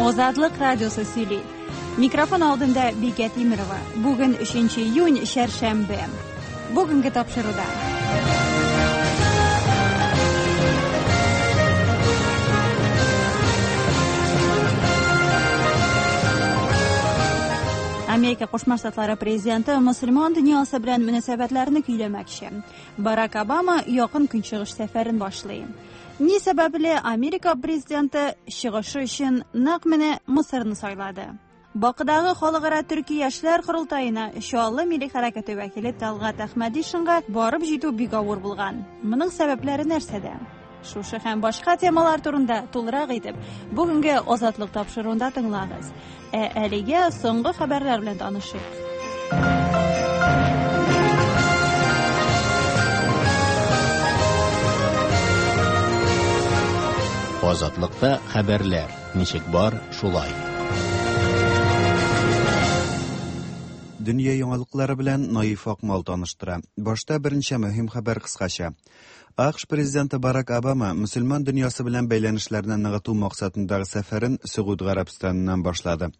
Азатлык радиосы сөйли. Микрофон алдында Бикә Тимерова. Бүген 3 июнь, чәршәмбе. Бүгенге тапшыруда. Америка Кушма Штатлары президенты мөселман дөньясы белән мөнәсәбәтләрне көйләмәкче. Барак Обама якын көнчыгыш сәфәрен башлый. Ни сәбәпле Америка президенты чыгышы өчен нәкъ менә Мысырны сайлады? Бакыдагы халыкара төрки яшьләр корылтаена Чаллы милли хәрәкәте вәкиле Талгат Әхмәдишинга барып җитү бик авыр булган. Моның сәбәпләре нәрсәдә? Шушы һәм башка темалар турында тулырак итеп бүгенге Азатлык тапшыруында тыңлагыз. Ә әлегә соңгы хәбәрләр белән танышыйк. Азатлыкта хәбәрләр ничек бар, шулай. Дөнья яңалыклары белән Наиф Акмал таныштыра. Башта берничә мөһим хәбәр кыскача. АКШ президенты Барак Обама мөселман дөньясы белән бәйләнешләрне ныгыту максатындагы сәфәрен Сөгуд Гарәбстаныннан башлады.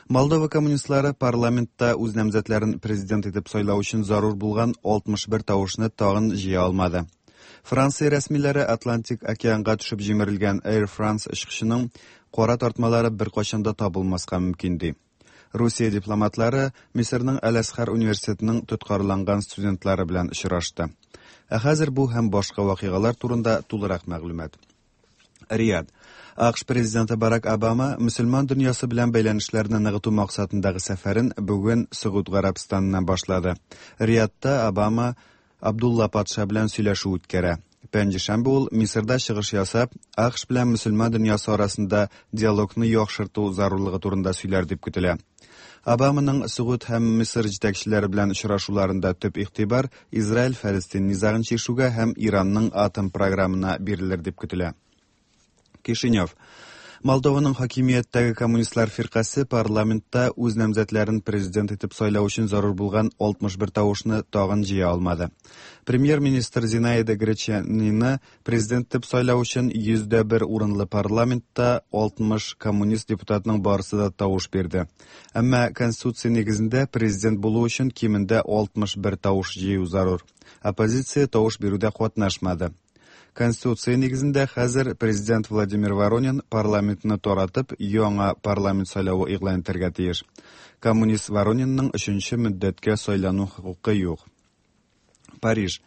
Молдова коммунистлары парламентта үз намзәтләрен президент итеп сайлау өчен зарур булган 61 тавышны тагын җыя алмады. Франция рәсмиләре Атлантик океанга төшеп җимерелгән Air France очкычының кара тартмалары беркайчан да табылмаска мөмкин ди. Русия дипломатлары Мисырның Әл-Әзһар университетының тоткарланган студентлары белән очрашты. Ә хәзер бу һәм башка вакыйгалар турында тулырак мәгълүмат. Рияд. АКШ президенты Барак Обама мөселман дөньясы белән бәйләнешләрне ныгыту максатындагы сәфәрен бүген Сөгуд Гарәбстаныннан башлады. Риядта Обама Абдулла патша белән сөйләшү үткәрә. Пәнҗешәмбе ул Мисырда чыгыш ясап, АКШ белән мөселман дөньясы арасында диалогны яхшырту зарурлыгы турында сөйләр дип көтелә. Обаманың Сөгуд һәм Мисыр җитәкчеләре белән очрашуларында төп игътибар Израиль-Фәлестин низагын чишүгә һәм Иранның атом програмына бирелер дип көтелә. Кишинев. Молдованың хакимияттәге коммунистлар фиркасе парламентта үз намзәтләрен президент итеп сайлау өчен зарур булган 61 тавышны тагын җыя алмады. Премьер-министр Зинаида Гречанины президент итеп сайлау өчен 101 урынлы парламентта 60 коммунист депутатның барысы да тавыш бирде. Әмма конституция нигезендә президент булу өчен кимендә 61 тавыш җыю зарур. Оппозиция тавыш бирүдә катнашмады. Конституция нигезендә хәзер президент Владимир Воронин парламентны таратып, яңа парламент сайлавы игълан итәргә тиеш. Коммунист Воронинның өченче мөддәткә сайлану хокукы юк. Париж.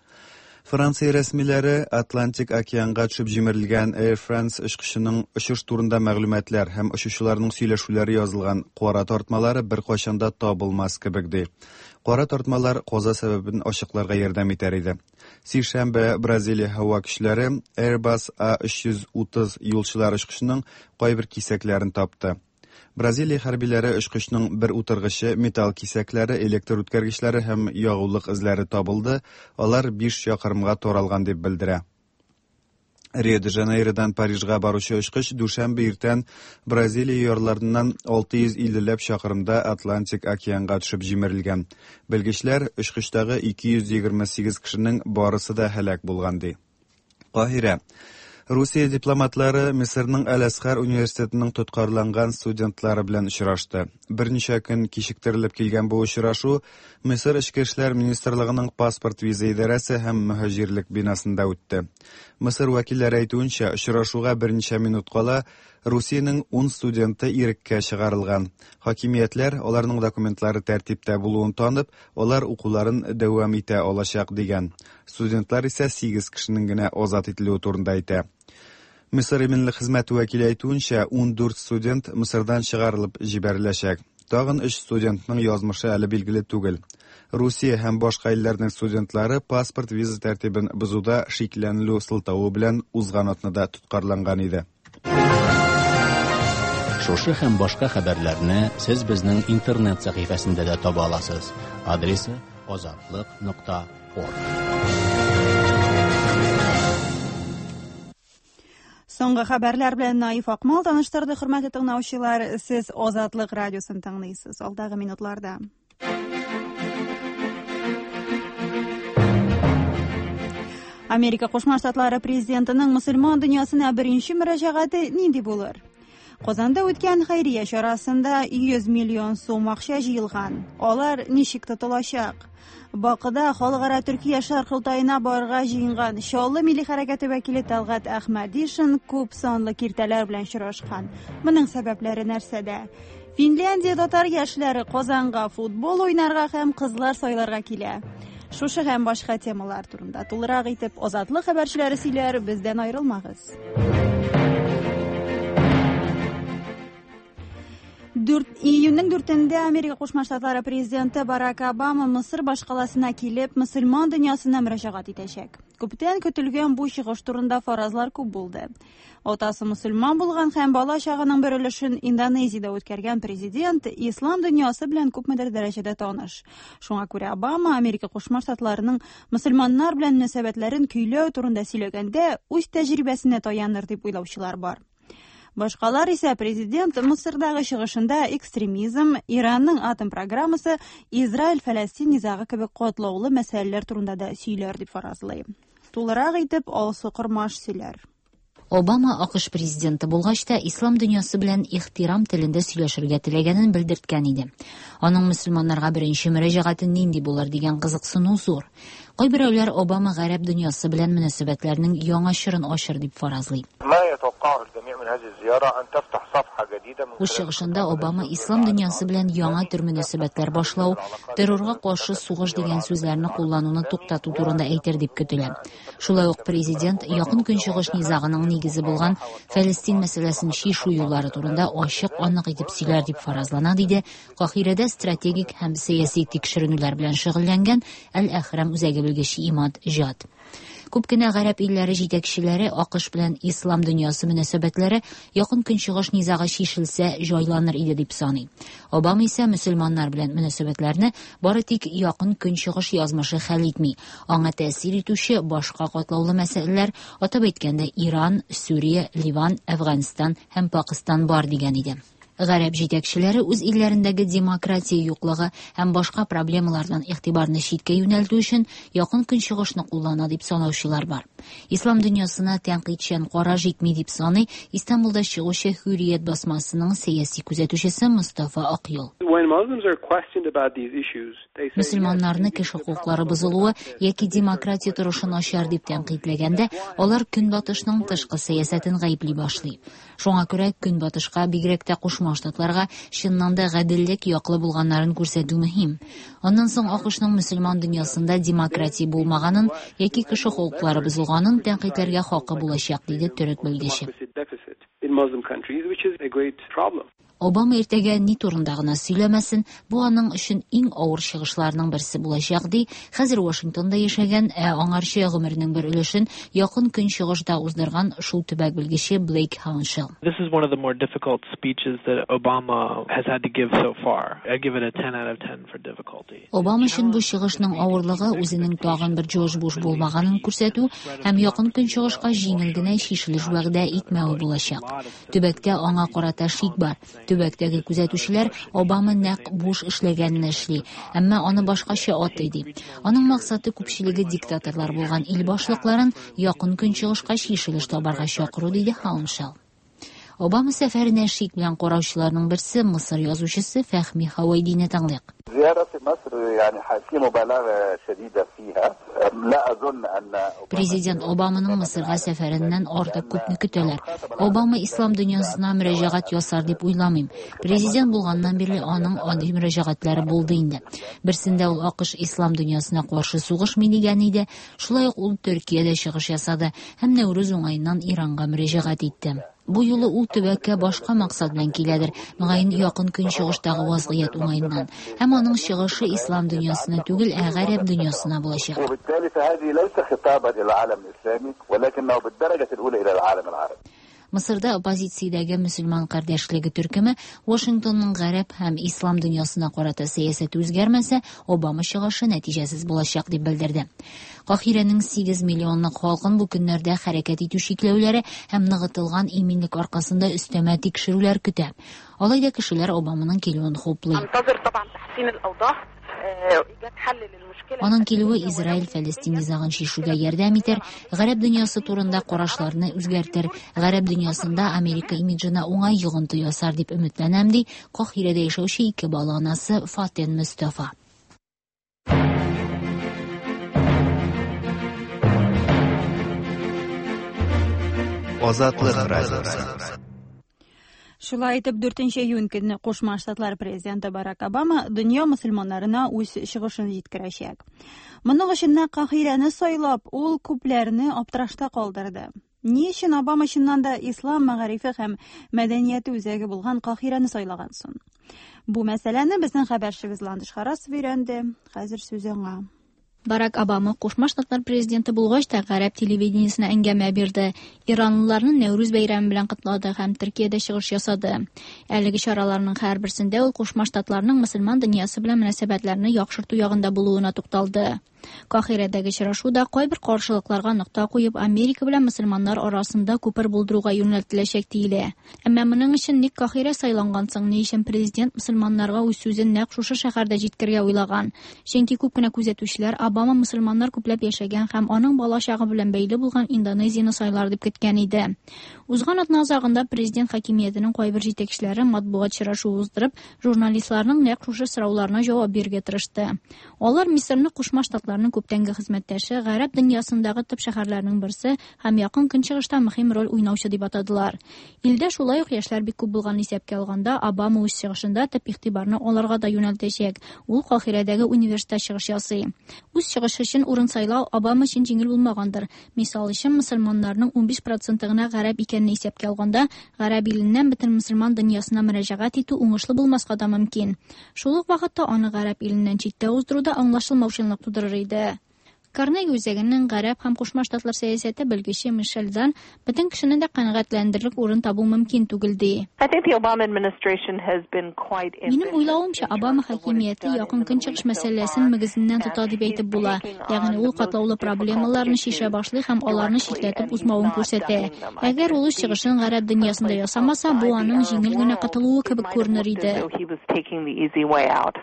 Франция рәсмиләре Атлантик океанга төшеп җимерелгән Air France очкычының очыш турында мәгълүматлар һәм очучыларның сөйләшүләре язылган кара тартмалары беркайчан да табылмас кебек ди. Кара тартмалар каза сәбәбен ачыкларга ярдәм итәр иде. Сишәмбе Бразилия һава көчләре Airbus A330 юлчылар очкычының кайбер кисәкләрен тапты. Бразилия хәрбиләре очкычның бер утыргычы, металл кисәкләре, электр үткәргечләре һәм ягулык эзләре табылды, алар 5 чакрымга таралган дип белдерә. Рио-де-Жанейродан Парижга баручы очкыч дүшәмбе иртән Бразилия ярларыннан 650 ләп чакрымда Атлантик океанга төшеп җимерелгән. Белгечләр очкычтагы 228 кешенең барысы да һәлак булган ди. Каһирә. Русия дипломатлары Мисырның Әл-Әзһар университетының тоткарланган студентлары белән очрашты. Берничә көн кичектерелеп килгән бу очрашу Мисыр Эчке эшләр министрлыгының паспорт-виза идарәсе һәм мөһаҗирлек бинасында үтте. Мисыр вәкилләре әйтүенчә, очрашуга берничә минут кала Русиянең 10 студенты иреккә чыгарылган. Хакимиятләр аларның документлары тәртиптә булуын танып, алар укуларын дәвам итә алачак дигән. Студентлар исә 8 кешенең генә азат ителүе турында әйтә. Мисыр иминлек хезмәте вәкиле әйтүенчә, 14 студент Мисырдан чыгарылып җибәреләчәк. Тагын 3 студентның язмышы әле билгеле түгел. Русия һәм башка илләрнең студентлары паспорт-виза тәртибен бозуда шикләнелү сылтавы белән узган атнада тоткарланган иде. Шушы һәм башка хәбәрләрне сез безнең интернет сәхифәсендә дә таба аласыз. Адресы azatliq.org. Соңгы хәбәрләр белән Наиф Акмал таныштырды. Хөрмәтле тыңлаучылар, сез Азатлык радиосын тыңлыйсыз. Алдагы минутларда. Америка Кушма Штатлары президентының мөселман дөньясына беренче мөрәҗәгате нинди булыр? Казанда үткән хәйрия чарасында 100 миллион сум акча җыелган. Алар ничек тотылачак? Бакыда халыкара төрки яшьләр корылтаена барырга җыенган Чаллы милли хәрәкәте вәкиле Талгат Әхмәдишин күп санлы киртәләр белән очрашкан. Моның сәбәпләре нәрсәдә? Финляндия татар яшьләре Казанга футбол уйнарга һәм кызлар сайларга килә. Шушы һәм башка темалар турында тулырак итеп Азатлык хәбәрчеләре сөйләр, бездән аерылмагыз. Июньнең 4-ндә Америка Кушма Штатлары президенты Барак Обама Мысыр башкаласына килеп, мөселман дөньясына мөрәҗәгать итәчәк. Күптән көтелгән бу чыгыш турында фаразлар күп булды. Атасы мөселман булган һәм бала чагының бер өлешен Индонезиядә үткәргән президент ислам дөньясы белән күпмедер дәрәҗәдә таныш. Шуңа күрә Обама Америка Кушма Штатларының мөселманнар белән мөнәсәбәтләрен көйләү турында сөйләгәндә үз тәҗрибәсенә таяныр дип уйлаучылар бар. Башкалар исә президент Мысырдагы чыгышында экстремизм, Иранның атом программасы, Израиль-Фәләстин низагы кебек катлаулы мәсьәләләр турында да сөйләр дип фаразлый. Тулырак итеп Алсу Кормаш сөйләр. Обама АКШ президенты булгач та ислам дөньясы белән ихтирам телендә сөйләшергә теләгәнен белдерткән иде. Аның мөселманнарга беренче мөрәҗәгате нинди булыр дигән кызыксыну зур. Кайберәүләр Обама гарәп дөньясы белән мөнәсәбәтләрнең яңа чорын ачыр дип фаразлый. Үз чыгышында Обама ислам дөньясы белән яңа төр мөнәсәбәтләр башлау, террорга каршы сугыш дигән сүзләрне куллануны туктату турында әйтер дип көтелә. Шулай ук президент Якын Көнчыгыш низагының нигезе булган Фәлестин мәсьәләсен чишү юллары турында ачык анык итеп сөйләр дип фаразлана, диде Каһирәдә стратегик һәм сәяси тикшеренүләр белән шөгыльләнгән Әл-Әхрам үзәге белгече Имад Җад. Күп кенә гарәп илләре җитәкчеләре АКШ белән ислам дөньясы мөнәсәбәтләре Якын Көнчыгыш низагы чишелсә җайланыр иде дип саный. Обама исә мөселманнар белән мөнәсәбәтләрне бары тик Якын Көнчыгыш язмышы хәл итми. Аңа тәэсир итүче башка катлаулы мәсьәләләр, атап әйткәндә, Иран, Сүрия, Ливан, Әфганстан һәм Пакыстан бар дигән иде. Гарәп җитәкчеләре үз илләрендәге демократия юклыгы һәм башка проблемалардан игътибарны читкә юнәлтү өчен Якын Көнчыгышны куллана дип санаучылар бар. Ислам дөньясына тәнкыйтьчән караш җитми дип саный Истанбулда чыгучы Hürriyet басмасының сәяси күзәтүчесе Мостафа Акъюл. Мөселманнарны кеше хокуклары бозылуы яки демократия торышы начар дип тәнкыйтьләгәндә, алар Көнбатышның тышкы сәясәтен гаепли башлый. Шуңа күрә Көнбатышка, бигрәк тә Кушма Штатларга чыннан да гаделлек яклы булганнарын күрсәтү мөһим. Аннан соң АКШның мөселман дөньясында демократия булмаганын яки кеше хокуклары бозылганын тәнкыйтьләргә хакы булачак, диде төрек белгече. Обама иртәгә ни турында гына сөйләмәсен, бу аның өчен иң авыр чыгышларның берсе булачак, ди хәзер Вашингтонда яшәгән, ә аңарчы гомеренең бер өлешен Якын Көнчыгышта уздырган шул төбәк белгече Блейк Хауншелл. This is one of the more difficult speeches that Obama has had to give so far. I'd give it a 10 out of 10 for difficulty. Обама өчен бу чыгышның авырлыгы үзенең тагын бер Джордж Буш булмаганын күрсәтү һәм Якын Көнчыгышка җиңел генә чишелеш вәгъдә итмәве булачак. Төбәктә аңа карата шик бар. Төбәктәге күзәтүчеләр Обама нәкъ Буш эшләгәнне эшли, әмма аны башкача атый ди. Аның максаты күпчелеге диктаторлар булган ил башлыкларын Якын Көнчыгышка чишелеш табарга чакыру, диде Хауншелл. Обама сәфәренә шик белән караучыларның берсе Мысыр язучысы Фәхми Хавайдины тыңлыйк. Президент Обаманың Мысырга сәфәреннән артык күпне көтәләр. Обама ислам дөньясына мөрәҗәгать ясар дип уйламыйм. Президент булганнан бирле аның андый мөрәҗәгатьләре булды инде. Берсендә ул АКШ ислам дөньясына каршы сугышмый дигән иде. Шулай ук ул Төркиядә чыгыш ясады һәм Нәүрүз уңаеннан Иранга мөрәҗәгать итте. Бу юлы ул төбәккә башка максат белән киләдер, мөгаен Якын Көнчыгыштагы вазгыять уңаеннан. Һәм аның чыгышы ислам дөньясына түгел, ә гарәп дөньясына булачак. Мысырда оппозициядәге мөселман кардәшлеге төркеме Вашингтонның гарәп һәм ислам дөньясына карата сәясәте үзгәрмәсә, Обама чыгышы нәтиҗәсез булачак дип белдерде. Каһирәнең 8 миллионлык халкын бу көннәрдә хәрәкәт итү чикләүләре һәм ныгытылган иминлек аркасында өстәмә тикшерүләр көтә. Алай да кешеләр Обаманың килүен хуплый. Аның килүе Израиль-Фәлестин низагын чишүгә ярдәм итәр, гарәп дөньясы турында карашларны үзгәртер, гарәп дөньясында Америка имиджына уңай йогынты ясар дип өметләнәм, ди Каһирәдә яшәүче ике бала анасы Фатен Мөстафа. Азатлык радиосы. Шулай итеп, 4 июнь көнне Кушма Штатлар президенты Барак Обама дөнья мөселманнарына үз чыгышын җиткерәчәк. Моның өчен нәкъ Каһирәне сайлап, ул күпләрне аптырашта калдырды. Ни өчен Обама чыннан да ислам мәгарифе һәм мәдәнияте үзәге булган Каһирәне сайлаган соң? Бу мәсьәләне безнең хәбәрчебез Ландыш Харасов өйрәнде. Хәзер сүз аңа. Барак Обама Кушма Штатлар президенты булгач та гарәп телевидениесенә әңгәмә бирде. Иранлыларны Нәүрүз бәйрәме белән котлады һәм Төркиядә чыгыш ясады. Әлеге чараларның һәрберсендә ул Кушма Штатларның мөселман дөньясы белән мөнәсәбәтләрне яхшырту ягында булуына тукталды. Каһирәдәге очрашуда кайбер каршылыкларга нокта куеп, Америка белән мөселманнар арасында күпер булдыруга юнәлтеләчәк диелә. Әмма моның өчен ник Каһирә сайланган соң? Ни өчен президент мөселманнарга үз сүзен нәкъ шушы шәһәрдә җиткерергә уйлаган? Чөнки күп кенә күзәтүчеләр Обама мөселманнар күпләп яшәгән һәм аның бала чагы белән бәйле булган Индонезияне сайлар дип көткән иде. Узган атна азагында президент хакимиятенең кайбер җитәкчеләре матбугат очрашуы уздырып, журналистларның нәкъ шушы сорауларына җавап бирергә тырышты. Алар Мисырны Кушма Штатларның күптәнге хезмәттәше, гарәп дөньясындагы төп шәһәрләрнең берсе һәм Якын Көнчыгышта мөһим роль уйнаучы дип атадылар. Илдә шулай ук яшьләр бик күп булган исәпкә алганда, Обама үз чыгышында төп игътибарны аларга да юнәлтәчәк. Ул Каһирәдәге университетта чыгыш ясый. Үз чыгышы өчен урын сайлау Обама өчен җиңел булмагандыр. Мисал өчен, мөселманнарның 15% гына гарәп икәнен исәпкә алганда, гарәп иленнән бөтен мөселман дөньясына мөрәҗәгать итү уңышлы булмаска да мөмкин. Шул ук вакытта аны гарәп иленнән читтә уздыру да аңлашылмаучанлык тудырыр иде. Карнеги үзәгенең гарәп һәм Кушма Штатлар сәясәте белгече Мишель Дан бөтен кешене дә канәгатьләндерерлек урын табу мөмкин түгел ди. I think the Obama administration has been quite Минем уйлавымча, Обама хакимияте Якын Көнчыгыш мәсьәләсен мөгезеннән тота дип әйтеп була. Ягъни ул катлаулы проблемаларны чишә башлый һәм аларны читләтеп узмавын күрсәтә. Әгәр ул үз чыгышын гарәп дөньясында ясамаса, бу аның җиңел генә котылуы кебек күренер иде. He was taking the easy way out.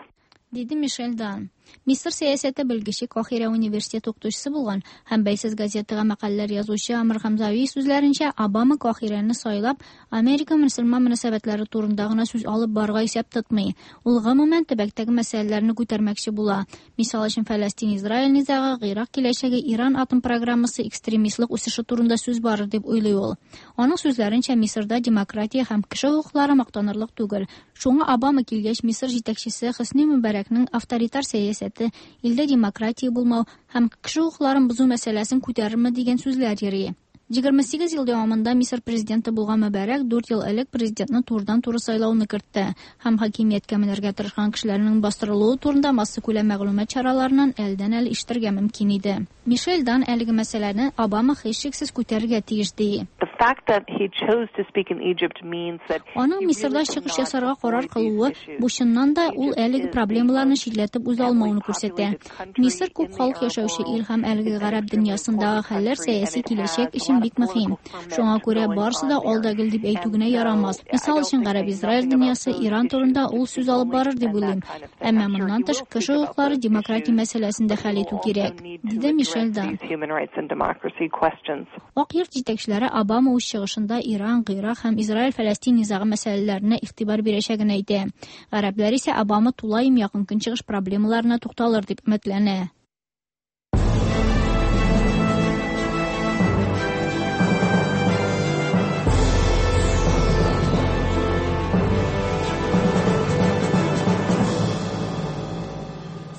Диде Мишель Дан. Мисыр сәясәте белгече Каһирә университеты укытучысы булган һәм бәйсез газетага мәкаләләр язучы Амр Хамзави сүзләренчә, Обама Каһирәне сайлап, Америка мөселман мөнәсәбәтләре турында гына сүз алып барырга исәп тотмый. Ул гомумән төбәктәге мәсьәләләрне күтәрмәкче була. Мисал өчен, Фәләстин-Израиль низагы, Гыйрак киләчәге, Иран атом программасы, экстремистлык үсеше турында сүз барыр дип уйлый ул. Аның сүзләренчә, Мисырда демократия һәм кеше хокуклары мактанырлык түгел. Шуңа Обама килгәч, Мисыр җитәкчесе Хөсни Мөбарәкнең авторитар сәясәте, илдә демократия булмау һәм кеше хокукларын бозу мәсьәләсен күтәрерме дигән сүзләр йөри. 28 ел дәвамында Мисыр президенты булган Мөбарәк 4 ел элек президентны турыдан-туры сайлауны кертте һәм хакимияткә менәргә тырышкан кешеләрнең бастырылуы турында массакүләм мәгълүмат чараларыннан әлдән-әле ишетергә мөмкин иде. Мишель Дан әлеге мәсьәләне Обама һичшиксез күтәрергә тиеш ди. The fact that he chose to speak in Egypt means that Аның Мисырда чыгыш ясарга карар кылуы бу чыннан да ул әлеге проблемаларны читләтеп уза алмавын күрсәтә. Мисыр күп халык яшәүче ил һәм әлеге гарәп дөньясындагы хәлләр сәяси киләчәк өчен бик мөһим. Шуңа күрә барысы да алда гел дип әйтү генә ярамас. Мисал өчен, гарәп-Израиль дөньясы, Иран турында ул сүз алып барыр дип уйлыйм. Әмма моннан тыш кеше хокуклары, демократия мәсьәләсен дә хәл итү кирәк, диде Мишель Дан. Human rights and democracy questions. Ак йорт җитәкчеләре Обама үз чыгышында Иран, Гыйрак һәм Израиль-Фәләстин низагы мәсьәләләренә игътибар бирәчәген әйтә. Гарәпләр исә Обама тулаем Якын Көнчыгыш проблемаларына тукталыр дип өметләнә.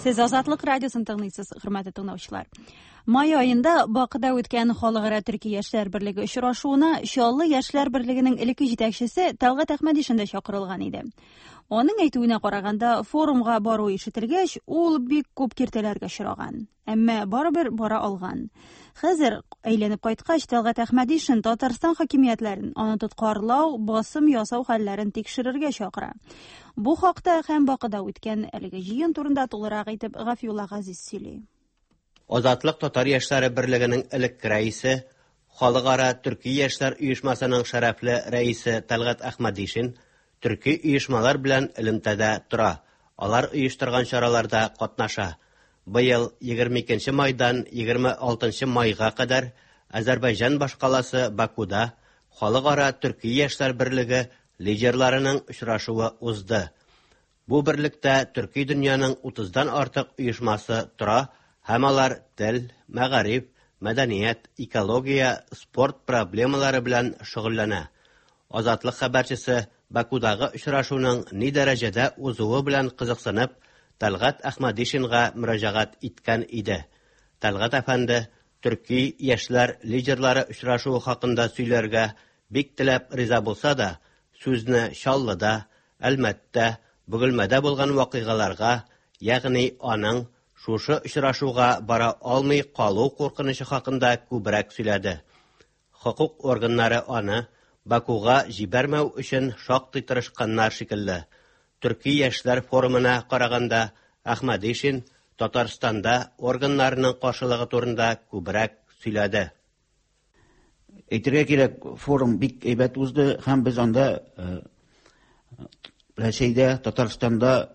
Сез Азатлык радиосын тыңлыйсыз, хөрмәтле тыңлаучылар. Май аенда Бакыда үткән Халыкара төрки яшьләр берлеге очрашуына Чаллы яшьләр берлегенең элекке җитәкчесе Тәлгать Әхмәдишин дә чакырылган иде. Аның әйтүенә караганда, форумга бару ишетелгәч, ул бик күп киртәләргә очраган. Әмма барыбер бара алган. Хәзер әйләнеп кайткач, Тәлгать Әхмәдишин Татарстан хакимиятләрен аны тоткарлау, басым ясау хәлләрен тикшерергә чакыра. Бу хакта һәм Бакыда үткән әлеге җыен турында тулырак итеп Гафиулла Газиз сөйли. Азатлык татар яшьләре берлегенең элекке рәисе, Халыкара төрки яшьләр оешмасының шәрәфле рәисе Тәлгать Әхмәдишин төрки оешмалар белән элемтәдә тора. алар оештырган чараларда катнаша. Быел 22 нче майдан 26 нчы майга кадәр Азәрбайҗан башкаласы Бакуда Халыкара төрки яшьләр берлеге лидерларының очрашуы узды. Бу берлектә төрки дөньяның утыздан артык оешмасы тора һәм алар тел, мәгариф, мәдәният, экология, спорт проблемалары белән шөгыльләнә. Азатлык хәбәрчесе Бакудагы очрашуның ни дәрәҗәдә узуы белән кызыксынып, Тәлгать Әхмәдишинга мөрәҗәгать иткән иде. Тәлгать әфәнде төрки яшьләр лидерлары очрашуы хакында сөйләргә бик теләп риза булса да, сүзне Чаллыда, Әлмәттә, Бөгелмәдә булган вакыйгаларга, ягъни аның шушы очрашуга бара алмый калу куркынычы хакында күбрәк сөйләде. Хокук органнары аны Бакуга җибәрмәү өчен шактый тырышканнар шикелле. Төрки яшьләр форумына караганда, Әхмәдишин Татарстанда органнарның каршылыгы турында күбрәк сөйләде. Әйтергә кирәк, форум бик әйбәт узды һәм без анда э, Рәсәйдә, Татарстанда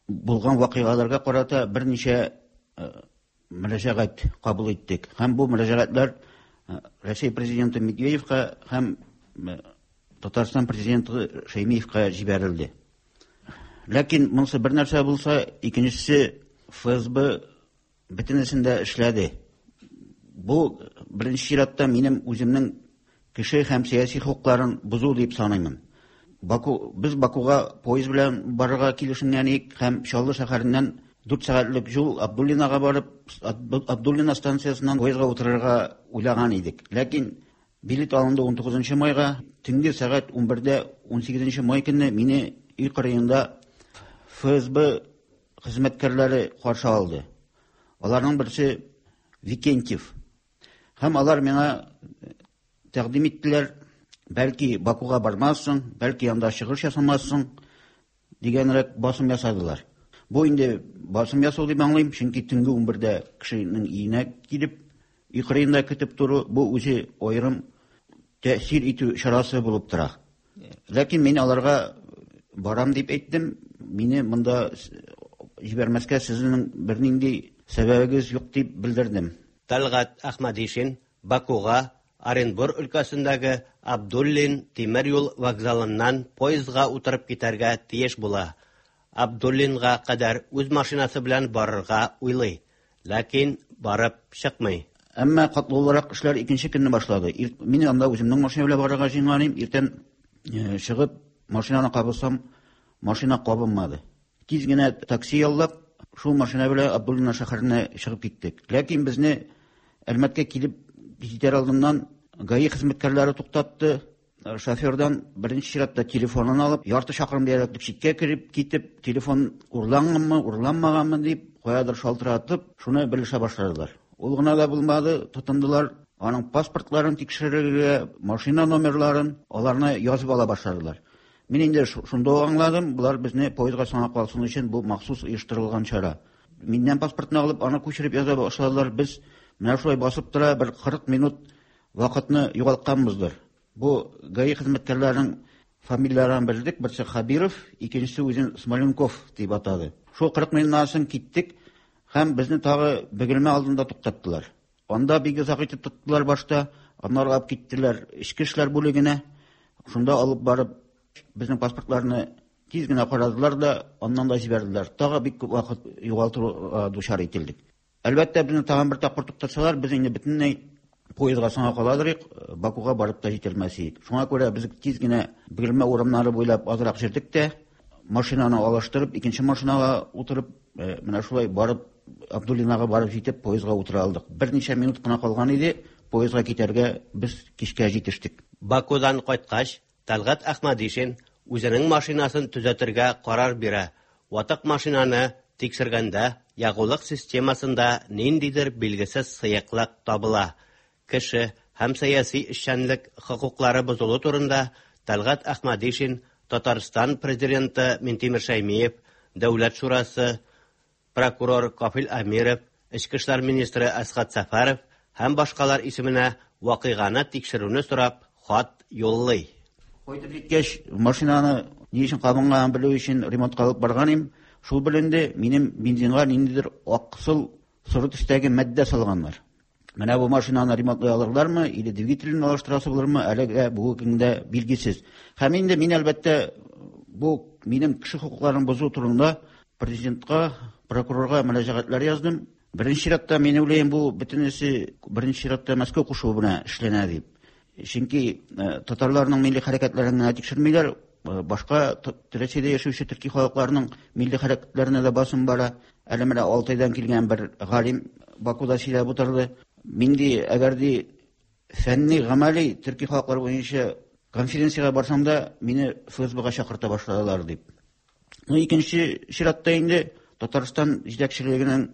булган вакыйгаларга карата берничә э, мөрәҗәгать кабул иттек. Һәм бу мөрәҗәгатьләр э, Рәсәй президенты Медведевка һәм Татарстан президенты Шәймиевка җибәрелде. Ләкин монысы бер нәрсә булса, икенчесе ФСБ Бөтенесен дә эшләде. Бу, беренче чиратта, минем үземнең кеше һәм сәяси хокукларын бозу дип саныймын. Баку, без Бакуга поезд белән барырга килешенгән идек һәм Чаллы шәһәреннән дүрт сәгатьлек юл Абдуллинага барып, Абдуллина станциясеннән поездга утырырга уйлаган идек. Ләкин билет алынды 19 майга, төнге сәгать 11дә 18 май көнне мине өй кырыенда ФСБ хезмәткәрләре каршы алды. Аларның берсе Викентьев. Һәм алар миңа тәкъдим иттеләр, бәлки Бакуга бармассың, бәлки анда чыгыш ясамассың дигәнрәк басым ясадылар. Бу инде басым ясау дип аңлыйм, чөнки төнге 11дә кешенең өенә килеп, өй кырыенда көтеп тору, бу үзе аерым тәэсир итү чарасы булып тора. Ләкин мин аларга барам дип әйттем. Мине монда җибәрмәскә сезнең бернинди сәбәбегез юк дип белдердем. Тәлгать Әхмәдишин Бакуга Оренбур өлкәсендәге Абдуллин тимер юл вокзалыннан поездга утырып китәргә тиеш була. Абдуллинга кадәр үз машинасы белән барырга уйлый. Ләкин барып чыкмый. Әмма катлаулырак эшләр икенче көнне башлады. Мин анда үземнең машина белән барырга җыенган идем. Иртән э, чыгып, машинаны кабызсам, машина кабынмады. Тиз генә такси яллап, шул машина белән Абдуллина шәһәренә чыгып киттек. Ләкин безне Әлмәткә килеп җитәр алдыннан ГАИ хезмәткәрләре туктатты. Э, шофердан беренче чиратта телефонын алып, ярты чакрым диярлек читкә кереп китеп, телефон урланганмы, урланмаганмы дип, каядыр шалтыратып, шуны белешә башладылар. Ул гына да булмады, тотындылар аның паспортларын тикшерергә, машина номерларын, аларны язып ала башладылар. Мин инде шунда ук аңладым, болар безне поездга соңга калсын өчен бу махсус оештырылган чара. Миннән паспортны алып, аны күчереп яза башладылар. Без менә шулай басып тора бер 40 минут вакытны югалтканбыздыр. Бу ГАИ хезмәткәрләренең фамилияләрен белдек. Берсе Хабиров, икенчесе үзен Смоленков дип атады. Шул 40 минуттан соң киттек һәм безне тагы Бөгелмә алдында туктаттылар. Анда бик озак итеп тоттылар башта, аннары алып киттеләр эчке эшләр бүлегенә. Шунда алып барып безнең паспортларны тиз генә карадылар да, аннан да җибәрделәр. Тагы бик күп вакыт югалтуга дучар ителдек. Әлбәттә, безне тагын бер тапкыр туктатсалар, без инде бөтенләй поездга соңга каладыр идек, Бакуга барып та җитәлмәс идек. Шуңа күрә без тиз генә Бөгелмә урамнары буйлап азрак йөрдек тә, машинаны алыштырып, икенче машинага утырып, э, менә шулай барып Абдуллинага барып җитеп, поездга утыра алдык. Берничә минут кына калган иде, поездга китәргә без кичкә җитештек. Бакудан кайткач, Тәлгать Әхмәдишин үзенең машинасын төзәтергә карар бирә. Ватык машинаны тикшергәндә ягулык системасында ниндидер билгесез сыеклык табыла. Кеше һәм сәяси эшчәнлек хокуклары бозылу турында Тәлгать Әхмәдишин Татарстан Президенты Минтимер Шәймиев, Дәүләт шурасы, прокурор Кафил Әмиров, эчке эшләр министры Әсгать Сәфәров һәм башкалар исеменә вакыйганы тикшерүне сорап хат юллый. Кайтып җиткәч, машинаны ни өчен кабынганын белү өчен ремонтка алып барган идем. Шул беленде, минем бензинга ниндидер аксыл соры төстәге матдә салганнар. Менә бу машинаны ремонтлый алырлармы, или двигателен алыштырасы булырмы, әлегә бүгенге көндә билгесез. Һәм инде мин, әлбәттә, бу минем кеше хокукларын бозу турында президентка, прокурорга мөрәҗәгатьләр яздым. Беренче чиратта, мин уйлыйм, бу бөтенесе беренче чиратта Мәскәү кушуы белән эшләнә дип. Чөнки татарларның милли хәрәкәтләрен генә тикшермиләр, башка Рәсәйдә яшәүче төрки халыкларның милли хәрәкәтләренә дә басым бара. Әле менә Алтайдан килгән бер галим Бакуда сөйләп утырды. Мин ди, әгәр ди фәнни, гамәли төрки халыклар буенча конференциягә барсам да, мине ФСБга чакырта башладылар дип. Ну, икенче чиратта инде Татарстан җитәкчелегенең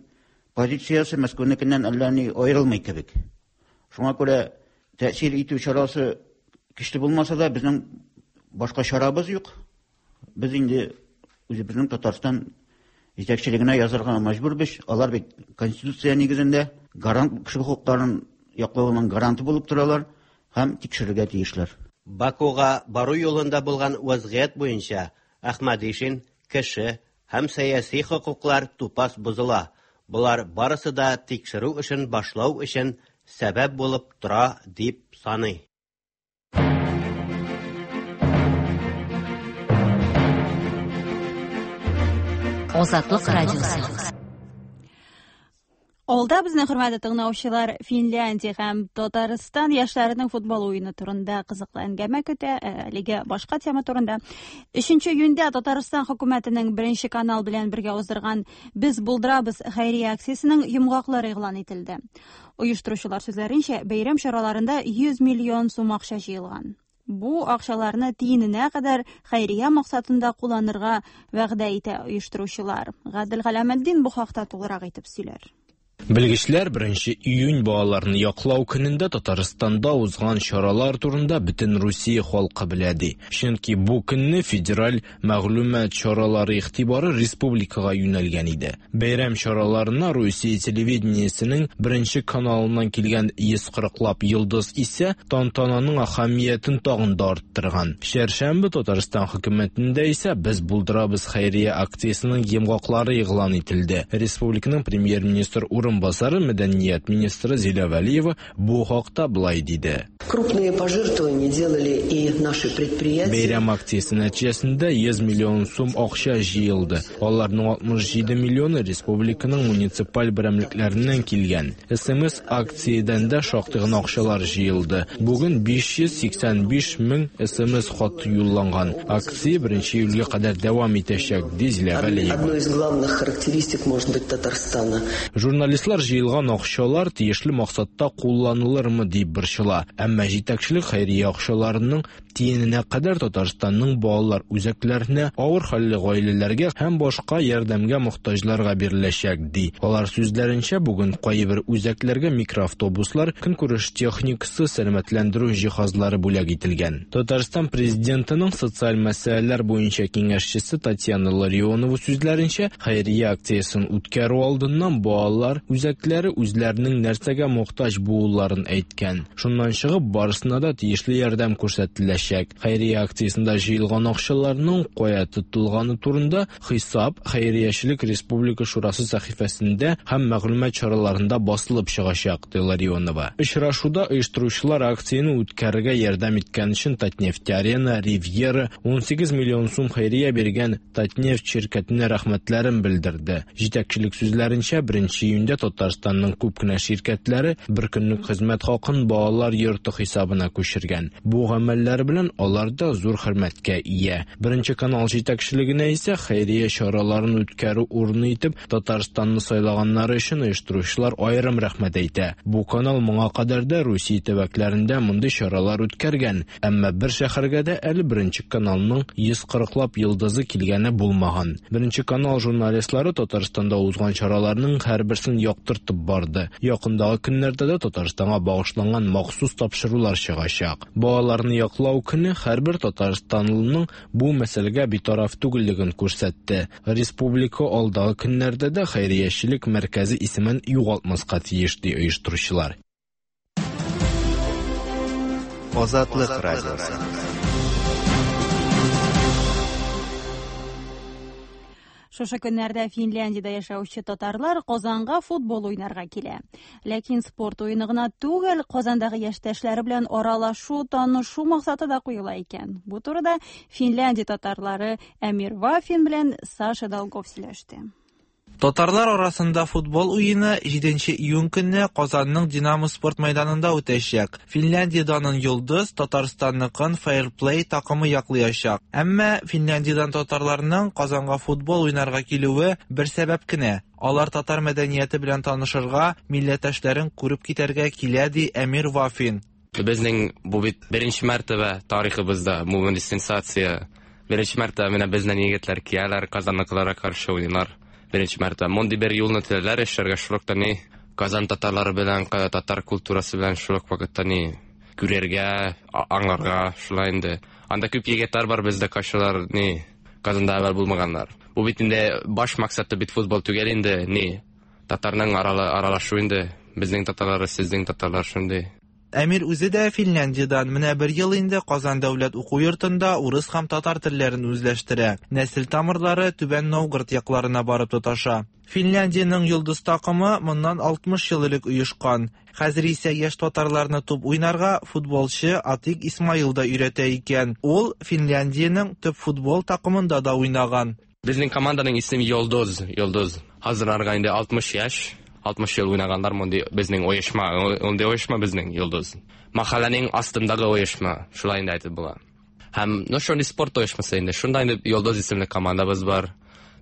позициясе Мәскәүнекеннән әллә ни аерылмый кебек. Шуңа күрә тәэсир итү чарасы көчле булмаса да, безнең башка чарабыз юк. Без инде үзебезнең Татарстан җитәкчелегенә язарга мәҗбүрбез. Алар бит Конституция нигезендә гарант кеше хокукларын яклауның гаранты булып торалар һәм тикшерергә тиешләр. Бакуга бару юлында булган вәзгыять буенча Әхмәдишин кеше һәм сәяси хокуклар тупас бозыла, болар барысы да тикшерү эшен башлау өчен сәбәп булып тора дип саный. Азатлык радиосы. Алда безнең хөрмәтле тыңлаучылар Финляндия һәм Татарстан яшьләренең футбол уены турында кызыклы әңгәмә көтә, әлегә башка тема турында. 3 июньдә Татарстан хөкүмәтенең Беренче канал белән бергә уздырган Без булдырабыз хәйрия акциясенең йомгаклары игълан ителде. Оештыручылар сүзләренчә, бәйрәм чараларында 100 миллион сум акча җыелган. Бу акчаларны тиененә кадәр хәйрия максатында кулланырга вәгъдә итә оештыручылар. Гадел Галәметдин бу хакта тулырак итеп сөйләр. Белгечләр 1 июнь балаларны яклау көнендә Татарстанда узган чаралар турында бөтен Русия халкы белә ди. Чөнки бу көнне федераль мәгълүмат чаралары игътибары республикага юнәлгән иде. Бәйрәм чараларына Русия телевидениесенең беренче каналыннан килгән 140лап йолдыз исә тантананың әһәмиятен тагын да арттырган. Чәршәмбе Татарстан хөкүмәтендә исә Без булдырабыз хәйрия акциясенең йомгаклары игълан ителде. Республиканың премьер-министр урынбасары, мәдәният министры Зилә Вәлиева Бу хакта болай диде. Крупные пожертвования делали и наши предприятия. Бәйрәм акциясе нәтиҗәсендә 100 миллион сум акча җыелды. Аларның 67 миллионы республиканың муниципаль берәмлекләреннән килгән. СМС акциядән дә шактый гына акчалар җыелды. Бүген 585 мең СМС хат юлланган. Акция 1 июльгә кадәр дәвам итәчәк, ди Зилә Галиева. Одной из главных характеристик, может быть, Татарстана. Журналистлар җыелган акчалар тиешле максатта кулланылырмы дип борчыла. Әмма җитәкчелек хәйрия акчаларының тиененә кадәр Татарстанның балалар үзәкләренә, авыр хәлле гаиләләргә һәм башка ярдәмгә мохтаҗларга биреләчәк, ди. Алар сүзләренчә, бүген кайбер үзәкләргә микроавтобуслар, көнкүреш техникасы, сәламәтләндерү җиһазлары бүләк ителгән. Татарстан Президентының социаль мәсьәләләр буенча киңәшчесе Татьяна Ларионова сүзләренчә, Хәйрия акциясен үткәрү алдыннан балалар үзәкләре үзләренең нәрсәгә мохтаҗ булуларын әйткән. Шуннан чыгып, барысына да тиешле ярдәм күрсәтеләчәк. Хәйрия акциясендә җыелган акчаларның кая тотылганы турында хисап Хәйриячелек республика шурасы сәхифәсендә һәм мәгълүмат чараларында басылып чыгачак, ди Ларионова. Очрашуда оештыручылар акцияне үткәрергә ярдәм иткән өчен Татнефть-Арена, Ривьера, 18 миллион сум хәйрия биргән Татнефть ширкәтенә рәхмәтләрен белдерде. Җитәкчелек сүзләренчә, 1 июньдә Татарстанның күп кенә ширкәтләре бер көнлек хезмәт хакын балалар йорты хисабына күчергән. Бу гамәлләре белән алар да зур хөрмәткә ия. Беренче канал җитәкчелегенә исә хәйрия чараларын үткәрү урыны итеп Татарстанны сайлаганнары өчен оештыручылар аерым рәхмәт әйтә. Бу канал моңа кадәр дә Русия төбәкләрендә мондый чаралар үткәргән. Әмма бер шәһәргә дә әле Беренче каналның 140 лап йолдызы килгәне булмаган. Беренче канал журналистлары Татарстанда узган чараларның һәрберсен яктыртып барды. Якындагы көннәрдә дә Татарстанга багышланган махсус тапшырулар чыгачак. Балаларны яклау көне һәрбер татарстанлының бу мәсьәләгә битараф түгеллеген күрсәтте. Республика алдагы көннәрдә дә хәйриячелек мәркәзе исемен югалтмаска тиеш, ди оештыручылар. Азатлык радиосы. Шушы көннәрдә Финляндиядә яшәүче татарлар Казанга футбол уйнарга килә. Ләкин спорт уены гына түгел, Казандагы яшьтәшләре белән аралашу, танышу максаты да куела икән. Бу турыда Финляндия татарлары Әмир Вафин белән Саша Долгов сөйләште. Татарлар арасында футбол уены 7 июнь көнне Казанның Динамо спорт мәйданында үтәчәк. Финляндия данын Йолдыз, Татарстанныкын Fair Play такымы яклыячак. Әмма Финляндиядән татарларның Казанга футбол уйнарга килүе бер сәбәп кенә. Алар татар мәдәнияте белән танышырга, милләттәшләрен күреп китәргә килә, ди Әмир Вафин. Безнең бу бит беренче мәртәбә тарихыбызда бу мондый сенсация. Беренче мәртәбә менә безнең егетләр кияләр, Казанныкыларга каршы уйныйлар. Беренче мәртәбә. Мондый бер юлны теләләр эшләргә, шул ук ни Казан татарлары белән, татар культурасы белән шул ук вакытта ни күрергә, аңларга шулай инде. Анда күп егетләр бар бездә кайсылар ни Казанда әвәл булмаганнар. Бу бит инде баш максаты бит футбол түгел инде, ни татарның аралашу инде. Безнең татарлар, сезнең татарлар шундый. Әмир үзе дә Финляндиядән. Менә бер ел инде Казан дәүләт уку йортында урыс һәм татар телләрен үзләштерә. Нәсел тамырлары Түбән Новгород якларына барып тоташа. Финляндиянең Йолдыз такымы моннан 60 ел элек оешкан. Хәзер исә яшь татарларны туп уйнарга футболчы Атик Исмаил да өйрәтә икән. Ул Финляндиянең төп футбол такымында да уйнаган. Безнең команданың исеме Йолдыз, Йолдыз. Хәзер аларга инде 60 яшь, 60 ел уйнаганнар мондый безнең оешма, мондый оешма безнең Йолдыз. Махалләнең астындагы оешма, шулай инде әйтеп була. Һәм, ну, шундый спорт оешмасы инде. Шунда инде Йолдыз исемле командабыз бар.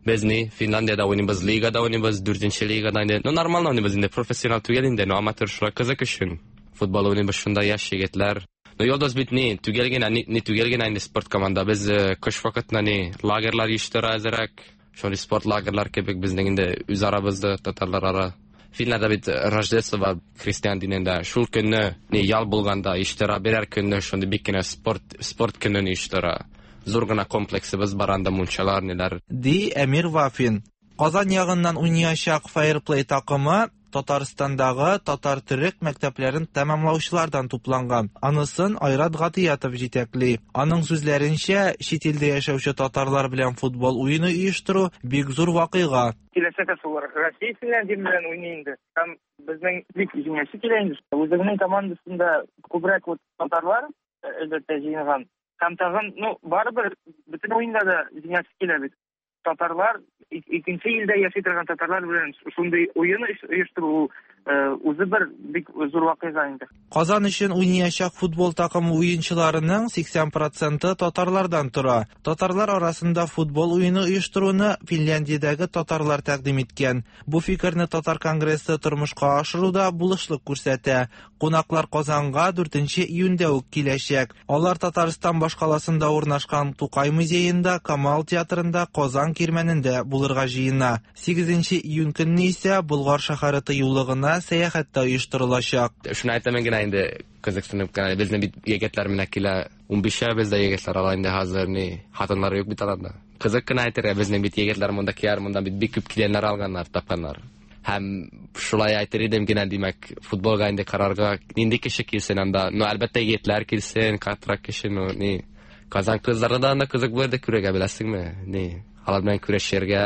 Без ни, Финляндиядә уйныйбыз, лигада уйныйбыз, дүртенче лигада инде. Ну, нормально уйныйбыз инде, профессионал түгел инде, но аматер шулай кызык өчен. Футбол уйныйбыз шунда яшь егетләр. Ну, Йолдыз бит ни, түгел генә, ни, ни түгел генә инде спорт команда. Без кыш вакытында ни, лагерьлар оештыра әзерәк. Шундый спорт лагерьлар кебек безнең инде үз арабызда, татарлар ара. Финнарда бит Рождество бар христиан динендә. Шул көнне ни ял булганда оештыра, берәр көнне шундый бик кенә спорт, спорт көнен оештыра. Зур гына комплексыбыз бар анда, мунчалар, ниләр. Ди Әмир Вафин. Казан ягыннан уйнаячак Fair Play такымы Татарстандагы татар-төрек мәктәпләрен тәмамлаучылардан тупланган. Анысын Айрат Гатиятов җитәкли. Аның сүзләренчә, чит илдә яшәүче татарлар белән футбол уены оештыру бик зур вакыйга. Киләчәктә шулар Россия Финляндия белән уйный инде. Һәм безнең бик җиңәсе килә инде. Үзебезнең командасында күбрәк вот татарлар, әлбәттә, җыелган. Һәм тагын, ну, барыбер бөтен уенда да җиңәсе килә бит. Татарлар, икенче илдә яши торган татарлар белән шундый уен оештыру ул үзе бер бик зур вакыйга инде. Казан өчен уйнаячак футбол такымы уенчыларының 80 проценты татарлардан тора. Татарлар арасында футбол уены оештыруны Финляндиядәге татарлар тәкъдим иткән. Бу фикерне Татар конгрессы тормышка ашыруда булышлык күрсәтә. Кунаклар Казанга 4 июньдә үк киләчәк. Алар Татарстан башкаласында урнашкан Тукай музеенда, Камал театрында, Казан кирмәнендә булырга җыена. 8 июнь көнне исә Болгар шәһәре тыюлыгына сәяхәт тә оештырылачак. Шуны әйтәмен генә инде, кызыксынып кенә, безнең бит егетләр менә килә, унбишәү бездә егетләр, алар инде хәзер ни, хатыннары юк бит аларда. Кызык кына әйтергә, безнең бит егетләр монда киләр, монда бит бик күп киленнәр алганнар, тапканнар. Һәм шулай әйтер идем генә, димәк, футболга инде карарга нинди кеше килсен анда? Ну, әлбәттә, егетләр килсен, картрак кеше, ну, ни. Казан кызлары да анда кызык булыр дип күрергә, беләсеңме? Ни, алар белән күрешергә,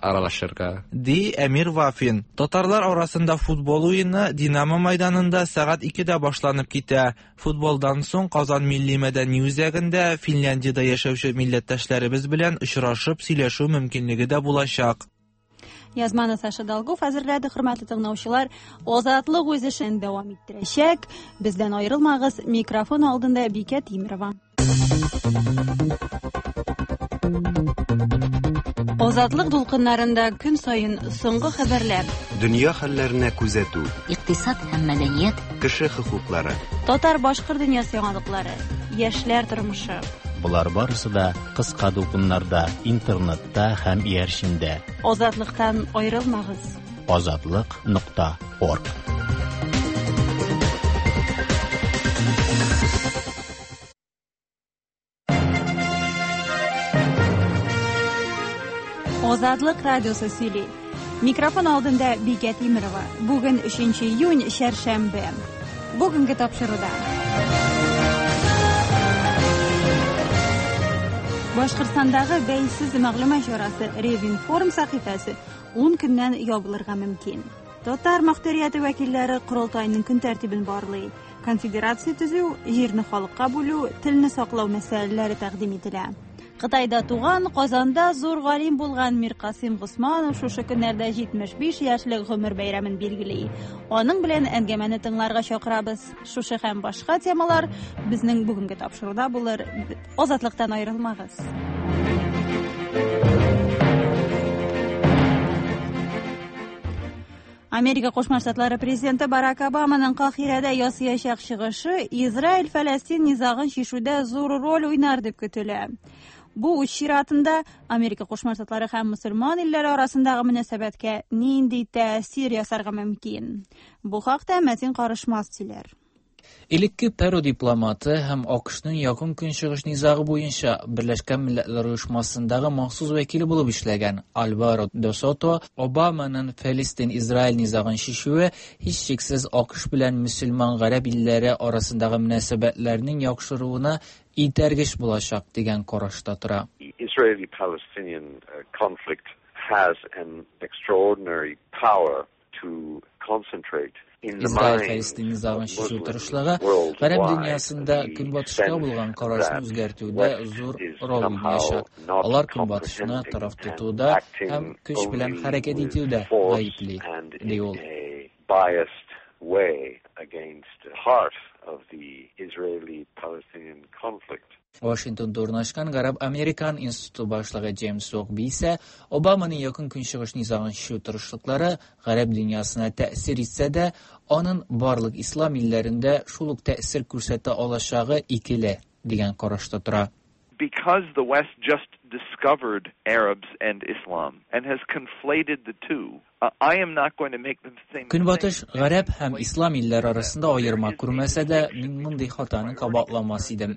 аралашырга. Ди Әмир Вафин. Татарлар арасында футбол уены Динамо майданында сәгать 2-дә башланып китә. Футболдан соң Казан милли мәдәни үзәгендә Финляндиядә яшәүче милләттәшләребез белән очрашып сөйләшү мөмкинлеге дә булачак. Язманы Саша Долгов әзерләде. Хөрмәтле тыңлаучылар, Азатлык үз эшен дәвам иттерәчәк. Бездән аерылмагыз. Микрофон алдында Бикә Тимирова. Азатлык дулкыннарында көн саен соңгы хәбәрләр, дөнья хәлләренә күзәтү, икътисад һәм мәдәният, кеше хокуклары, татар-башкорт дөньясы яңалыклары, яшьләр тормышы. Болар барысы да кыска дулкыннарда, интернетта һәм иярчендә. Азатлыктан аерылмагыз. Азатлык нокта орг. Азатлык радиосы сөйли. Микрофон алдында Бикә Тимирова. Бүген 3 июнь, чәршәмбе. Бүгенге тапшыруда. Башкортстандагы бәйсез мәгълүмат чарасы Ревинформ сәхифәсе 10 көннән ябылырга мөмкин. Татар мохтарияте вәкилләре корылтайның көн тәртибен барлый. Конфедерация төзү, җирне халыкка бүлү, телне саклау мәсьәләләре тәкъдим ителә. Кытайда туган, Казанда зур галим булган Миркасыйм Госманов шушы көннәрдә 75 яшьлек гомер бәйрәмен билгели. Аның белән әңгәмәне тыңларга чакырабыз. Шушы һәм башка темалар безнең бүгенге тапшыруда булыр. Азатлыктан аерылмагыз. Америка Кушма Штатлары президенты Барак Обаманың Кахирәдә ясыячак чыгышы Израиль-Фәләстин низагын чишүдә зур роль уйнар дип көтелә. Бу үз чиратында Америка Кушма Штатлары һәм мөселман илләре арасындагы мөнәсәбәткә нинди тәэсир ясарга мөмкин? Бу хакта Мәтин Карышмас сөйләр. Элекке Перу дипломаты һәм АКШның Якын Көнчыгыш низагы буенча Берләшкән Милләтләр Оешмасындагы махсус вәкиле булып эшләгән Альваро де Сото Обаманың Фәлестин-Израиль низагын чишүе һичшиксез АКШ белән мөселман гарәп илләре арасындагы мөнәсәбәтләрнең яхшыруына этәргеч булачак дигән карашта тора. Israeli-Palestinian conflict has an extraordinary power to concentrate Израиль-Фәлестин низагын чишү тырышлыгы гарәп дөньясында Көнбатышка булган карашны үзгәртүдә зур роль уйнаячак. Алар Көнбатышны тараф тотуда һәм көч белән хәрәкәт итүдә гаепли, ди ул. Вашингтонда урнашкан Гарәп-Американ институты башлыгы Джеймс Зогби исә Обаманың Якын Көнчыгыш низагын чишү тырышлыклары гарәп дөньясына тәэсир итсә дә, аның барлык ислам илләрендә шул ук тәэсир күрсәтә алачагы икеле, дигән карашта тора. Because the West just discovered Arabs and Islam and has conflated the two, I am not going to make the same Көнбатыш гарәп һәм ислам илләре арасында аерма күрмәсә дә, мин мондый хатаны кабатламас идем.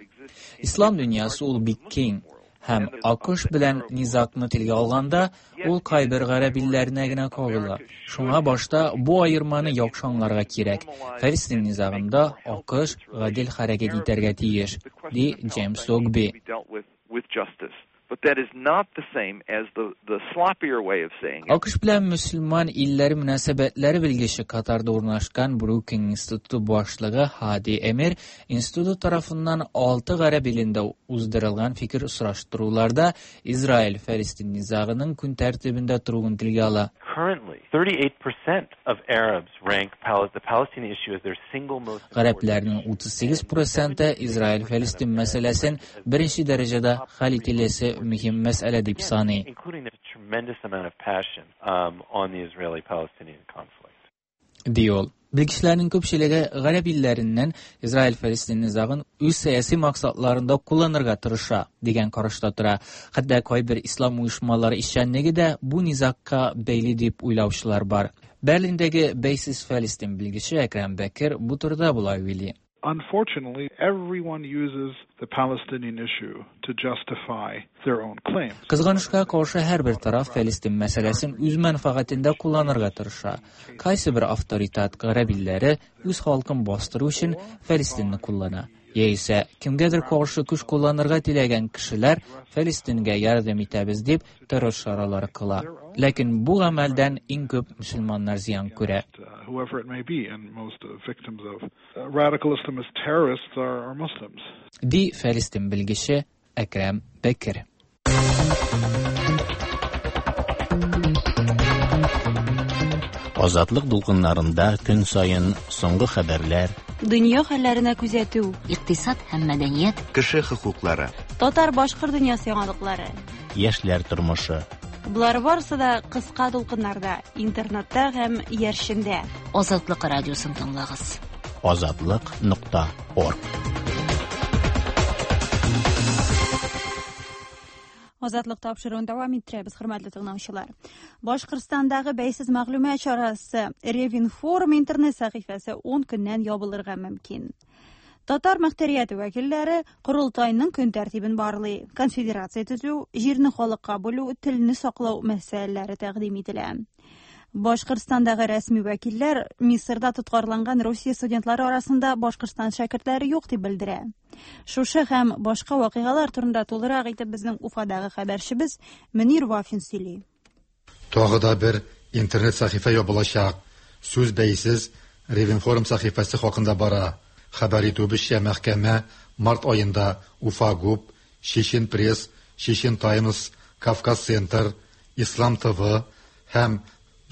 Ислам дөньясы ул бик киң. Һәм АКШ белән низагны телгә алганда, ул кайбер гарәп илләренә генә кагыла. Шуңа башта бу аерманы яхшы аңларга кирәк. Фәлестин низагында АКШ гадел хәрәкәт итәргә тиеш, ди Джеймс Зогби. АКШ белән мөселман илләре мөнәсәбәтләре белгече Катарда урнашкан Брукинг институты башлыгы Һади Эмир институты тарафыннан алты гарәп илендә уздырылган фикер сораштыруларда Израиль-Фәлестин низагының көн тәртибендә торуын телгә ала. Гарәпләрнең 38 проценты Израиль-Фәлестин мәсьәләсен беренче дәрәҗәдә хәл ителәсе мөһим мәсьәлә дип саный. Ди ул. Белгечләрнең күпчелеге гарәп илләреннән Израиль-Фәлестин низагын үз сәяси максатларында кулланырга тырыша, дигән карашта тора. Хәтта кайбер ислам оешмалары эшчәнлеге дә бу низагка бәйле дип уйлаучылар бар. Берлиндәге бәйсез Фәлестин белгече Әкрәм Бәкер бу турыда болай уйлый. Unfortunately, everyone uses the Palestinian issue to justify their own claims. Кызганычка каршы, һәрбер тараф Фәлестин мәсьәләсен үз мәнфәгатендә кулланырга тырыша. Кайсыбер авторитет гарәп илләре үз халкын бастыру өчен Фәлестинне куллана. Яисә кемгәдер каршы көч кулланырга теләгән кешеләр Фәлестингә ярдәм итәбез дип террор чаралары кыла. Ләкин бу гамәлдән иң күп мөселманнар зыян күрә. Whoever it may be, and most victims of radical Islamist terrorists are Muslims. Ди Фәлестин белгече Әкрәм Бәкер. Азатлык дулкыннарында көн саен соңгы хәбәрләр, Дөнья хәлләренә күзәтү, икътисад һәм мәдәният, кеше хокуклары, татар-башкорт дөньясы яңалыклары, яшьләр тормышы. Болар барысы да кыска дулкыннарда, интернетта һәм иярчендә. Азатлык радиосын тыңлагыз. Азатлык нокта орг. Азатлык тапшыруын дәвам иттерәбез, хөрмәтле тыңлаучылар. Башкортстандагы бәйсез мәгълүмат чарасы Ревинформ интернет сәхифәсе 10 көннән ябылырга мөмкин. Татар мөхтәрияте вәкилләре корылтайның көн тәртибен барлый. Конфедерация төзү, җирне халыкка бүлү, телне саклау мәсьәләләре тәкъдим ителә. Башкортстандагы рәсми вәкилләр Мисырда тоткарланган Русия студентлары арасында Башкортстан шәкертләре юк дип белдерә. Шушы һәм башка вакыйгалар турында тулырак итеп безнең Уфадагы хәбәрчебез Мөнир Вафин сөйли. Тагы да бер интернет сәхифә ябылачак. Сүз бәйсез Ревинформ сәхифәсе хакында бара. Хәбәр итүебезчә, мәхкәмә март аенда Уфа ГУП, Чечен Пресс, Чечен Таймс, Кавказ Центр, Ислам ТВ һәм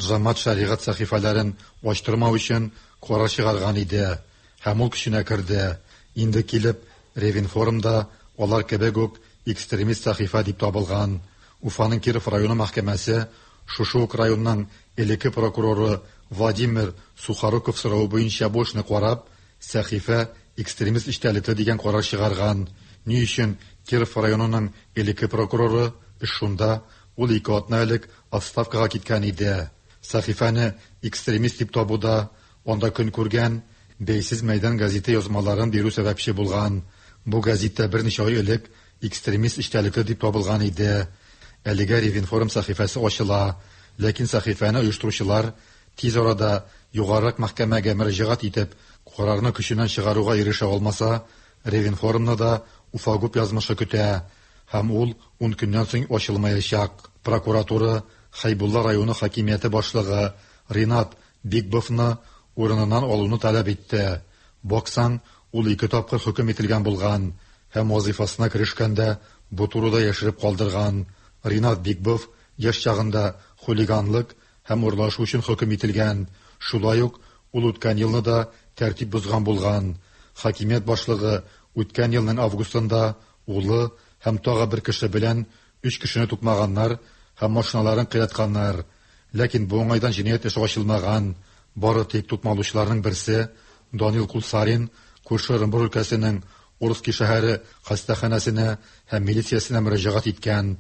Джамат Шәригать сәхифәләрен ачтырмау өчен карар чыгарган иде һәм ул көченә керде. Инде килеп, Ревинформ да алар кебек үк экстремист сәхифә дип табылган. Уфаның Киров районы мәхкәмәсе шушы ук районның элекке прокуроры Владимир Сухоруков соравы буенча бу эшне карап, сәхифә экстремист эчтәлекле дигән карар чыгарган. Ни өчен Киров районының элекке прокуроры, эш шунда, ул ике атна элек отставкага киткән иде. Сәхифәне экстремист дип табуда анда көн күргән Бәйсез мәйдан гәзите язмаларын бирү сәбәпче булган. Бу гәзиттә берничә ай элек экстремист эчтәлекле дип табылган иде. Әлегә Ревинформ сәхифәсе ачыла, ләкин сәхифәне оештыручылар тиз арада югарырак мәхкәмәгә мөрәҗәгать итеп, карарны көченнән чыгаруга ирешә алмаса, Ревинформны да Уфагуб язмышы көтә һәм ул ун көннән соң ачылмаячак. Прокуратура Хәйбулла районы хакимияте башлыгы Ринат Бикбовны урыныннан алуны таләп итте. Баксаң, ул ике тапкыр хөкем ителгән булган һәм вазыйфасына керешкәндә бу турыда яшереп калдырган. Ринат Бикбов яшь чагында хулиганлык һәм урлашу өчен хөкем ителгән. Шулай ук ул үткән елны да тәртип бозган булган. Хакимият башлыгы үткән елның августында улы һәм тагы бер кеше белән өч кешене тукмаганнар һәм машиналарын кыйратканнар. Ләкин бу уңайдан җинаять эше ачылмаган. Бары тик тукмалучыларның берсе Данил Кулсарин күрше Ырынбур өлкәсенең Орски шәһәре хастаханәсенә һәм милициясенә мөрәҗәгать иткән.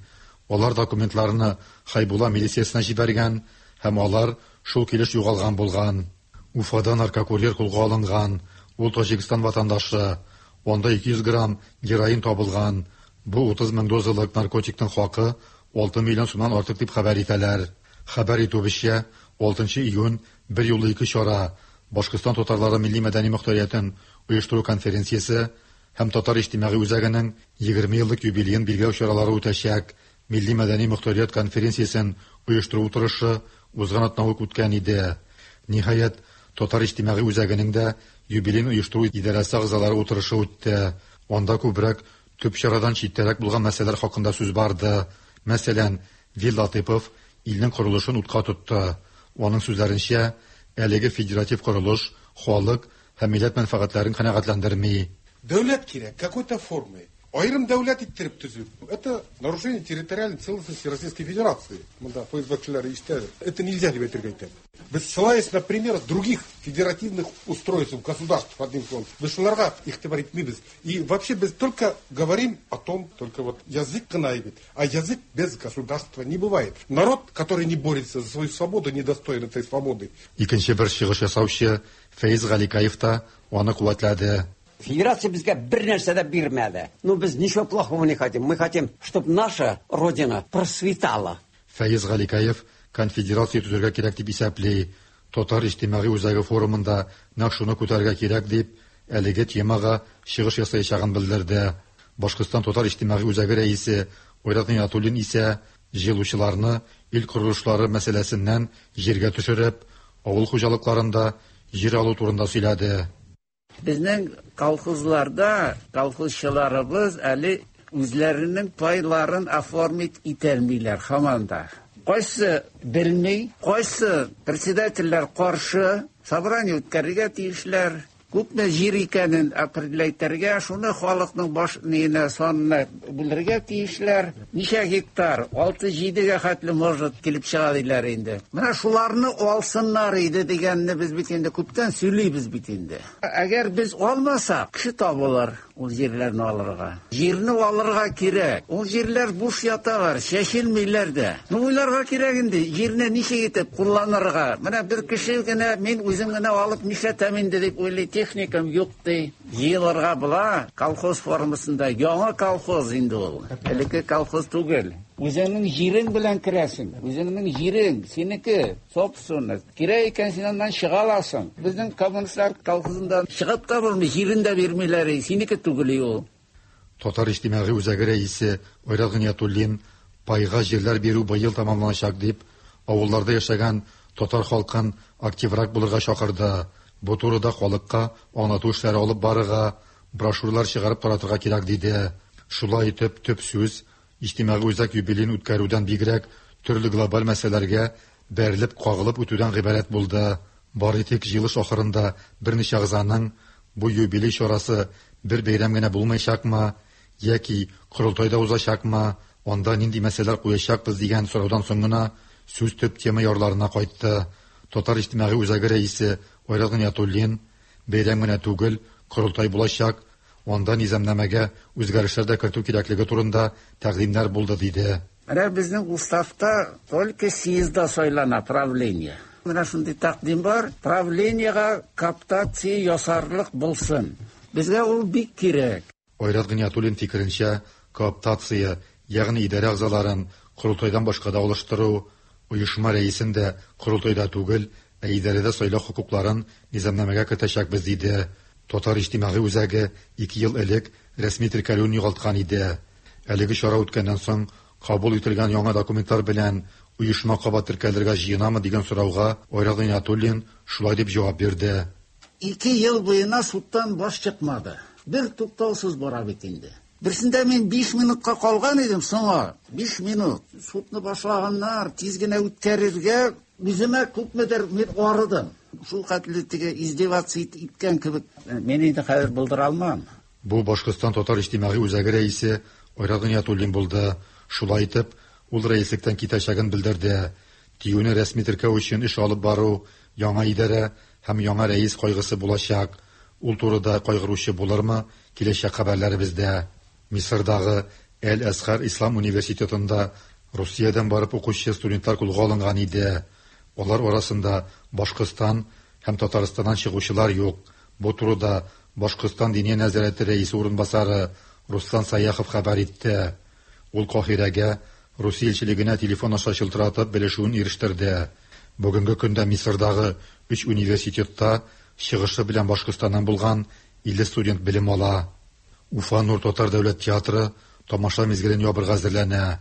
Алар документларны Хәйбулла милициясенә җибәргән һәм алар шул килеш югалган булган. Уфада наркокурьер кулга алынган. Ул Таҗикстан ватандашы. Анда 200 грамм героин табылган. Бу 30 мең дозалык наркотикның хакы 6 миллион сумнан артык дип хәбәр итәләр. Хәбәр итүебезчә, 6 июнь бер юлы ике чара Башкортстан татарлары милли-мәдәни мохтариятен оештыру конференциясе һәм Татар иҗтимагый үзәгенең 20 еллык юбилеен билгеләү чаралары үтәчәк. Милли-мәдәни мохтарият конференциясен оештыру утырышы узган атна ук үткән иде. Ниһаять, Татар иҗтимагый үзәгенең дә юбилеен оештыру идарәсе әгъзалары утырышы үтте. Анда күбрәк төп чарадан читтәрәк булган мәсьәләләр хакында сүз барды. Мәсәлән, Вил Латыйпов илнең корылышын утка тотты. Аның сүзләренчә, әлеге федератив корылыш халык һәм милләт мәнфәгатьләрен канәгатьләндерми. Дәүләт кирәк, какой-то формы. Аерым дәүләт иттереп төзү. Это нарушение территориальной целостности Российской Федерации. Монда ФСБ кешеләре ишетәдер. Это нельзя дип әйтергә әйтәм. Без ссылаясь на пример других федеративных устройств, государств, одним словом, без шуларга игътибар итмибез. И вообще без только говорим о том, только вот язык кына бит. А язык без государства не бывает. Народ, который не борется за свою свободу, не достоин этой свободы. Икенче бер чыгыш ясаучы Фәиз Галикаев та аны куәтләде. Федерация безгә бер нәрсә дә бирмәде. Ну, без ничего плохого не хотим. Мы хотим, чтобы наша Родина процветала. Фәиз Галикаев конфедерация төзергә кирәк дип исәпли. Татар иҗтимагый үзәге форумында нәкъ шуны күтәрергә кирәк дип, әлеге темага чыгыш ясаячагын белдерде. Башкортстан татар иҗтимагый үзәге рәисе Айрат Гыйниятуллин исә җыелучыларны ил корылышлары мәсьәләсеннән җиргә төшереп, авыл хуҗалыкларында җир алу турында сөйләде. Безнең колхозларда колхозчыларыбыз әле үзләренең пайларын оформить итәлмиләр һаман да. Кайсы белми, кайсы председательләр каршы, собрание үткәрергә тиешләр. Күпме җир икәнен определять, шуны халыкның баш ниенә санына бүлергә тиешләр. Ничә гектар? 6-7гә хәтле может килеп чыга диләр инде. Менә шуларны алсыннар иде дигәнне без бит инде күптән сөйлибез бит инде. Әгәр без алмасак, кеше табылыр ул җирләрне алырга. Җирне алырга кирәк. Ул җирләр буш яталар, чәчелмиләр дә. Ну уйларга кирәк инде, җирне ничек итеп кулланырга. Менә бер кеше генә, мин үзем генә алып нишләтәм инде дип уйлый, техникам юк ди. Җыелырга була колхоз формасында. Яңа колхоз инде ул. Элекке колхоз түгел. Үзеңнең җирең белән керәсең. Үзеңнең җирең, синеке, собственность. Кирәк икән, син аннан чыга аласың. Безнең коммунистлар колхозында чыгып та булмый, җирен дә бирмиләр, синеке түгел ул. Татар иҗтимагый үзәге рәисе Айрат Гыйниятуллин пайга җирләр бирү быел тәмамланачак дип, авылларда яшәгән татар халкын активрак булырга чакырды. Бу турыда халыкка аңлату эшләре алып барырга, брошюралар чыгарып таратырга кирәк, диде. Шулай итеп, төп сүз иҗтимагый үзәк юбилеен үткәрүдән бигрәк төрле глобаль мәсьәләләргә бәрелеп кагылып үтүдән гыйбарәт булды. Бары тик җыелыш ахырында берничә әгъзаның бу юбилей чарасы бер бәйрәм генә булмаячакмы яки корылтай да узачакмы, анда нинди мәсьәләләр куячакбыз дигән сораудан соң гына сүз төп тема ярларына кайтты. Татар иҗтимагый үзәге рәисе Айрат Гыйниятуллин бәйрәм генә түгел, корылтай булачак, анда низамнамәгә үзгәрешләр дә кертү кирәклеге турында тәкъдимнәр булды, диде. Менә безнең уставта только съездда сайлана правление. Менә шундый тәкъдим бар, правлениегә кооптация ясарлык булсын. Безгә ул бик кирәк. Айрат Гыйниятуллин фикеренчә, кооптация, ягъни идарә әгъзаларын корылтайдан башка да алыштыру, оешма рәисен дә корылтайда түгел, ә идарәдә сайлау хокукларын низамнамәгә кертәчәкбез, диде. Татар иҗтимагый үзәге 2 ел элек рәсми теркәлүен югалткан иде. Әлеге чара үткәннән соң кабул ителгән яңа документлар белән оешма кабат теркәлергә җыенамы дигән сорауга Айрат Гыйниятуллин шулай дип җавап бирде. 2 ел буена судтан баш чыкмады. Бер туктаусыз бара бит инде. Берсендә мин 5 минутка калган идем соңа. 5 минут. Судны башлаганнар, тиз генә үткәрергә үземә күпмедер мин арыдым. Шул хәтле теге издеваться иткән кебек. Мин инде хәзер булдыра алмам. Бу Башкортстан татар иҗтимагый үзәге рәисе Айрат Гыйниятуллин булды. Шулай итеп, ул рәислектән китәчәген белдерде. Тиюне рәсми теркәү өчен эш алып бару, яңа идарә һәм яңа рәис кайгысы булачак. Ул турыда кайгыручы булырмы? Киләчәк хәбәрләребездә. Мисырдагы Әл-Әзһар Ислам университетында Русиядән барып укучы студентлар кулга алынган иде. Алар арасында Башкортстан һәм Татарстаннан чыгучылар юк. Бу турыда Башкортстан Диния нәзарәте рәисе урынбасары Руслан Саяхов хәбәр итте. Ул Каһирәгә Русия илчелегенә телефон аша чылтыратып белешүен ирештерде. Бүгенге көндә Мисырдагы 3 университетта чыгышы белән Башкортстаннан булган 50 студент белем ала. Уфа Нур татар дәүләт театры тамаша мизгелен ябырга әзерләнә.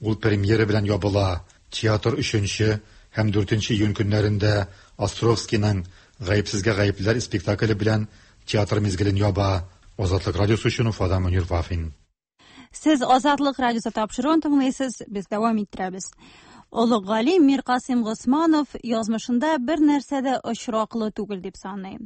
Ул премьера белән ябыла. Театр 3 һәм 4 июнь көннәрендә Островскийның Гаепсезгә гаеплеләр спектакле белән театр мизгелен яба. Азатлык радиосы өчен Уфадан Мөнир Вафин. Сез Азатлык радиосы тапшыруын тыңлыйсыз, без дәвам иттерәбез. Олуг галим Миркасыйм Госманов язмышында бер нәрсә дә очраклы түгел дип саный.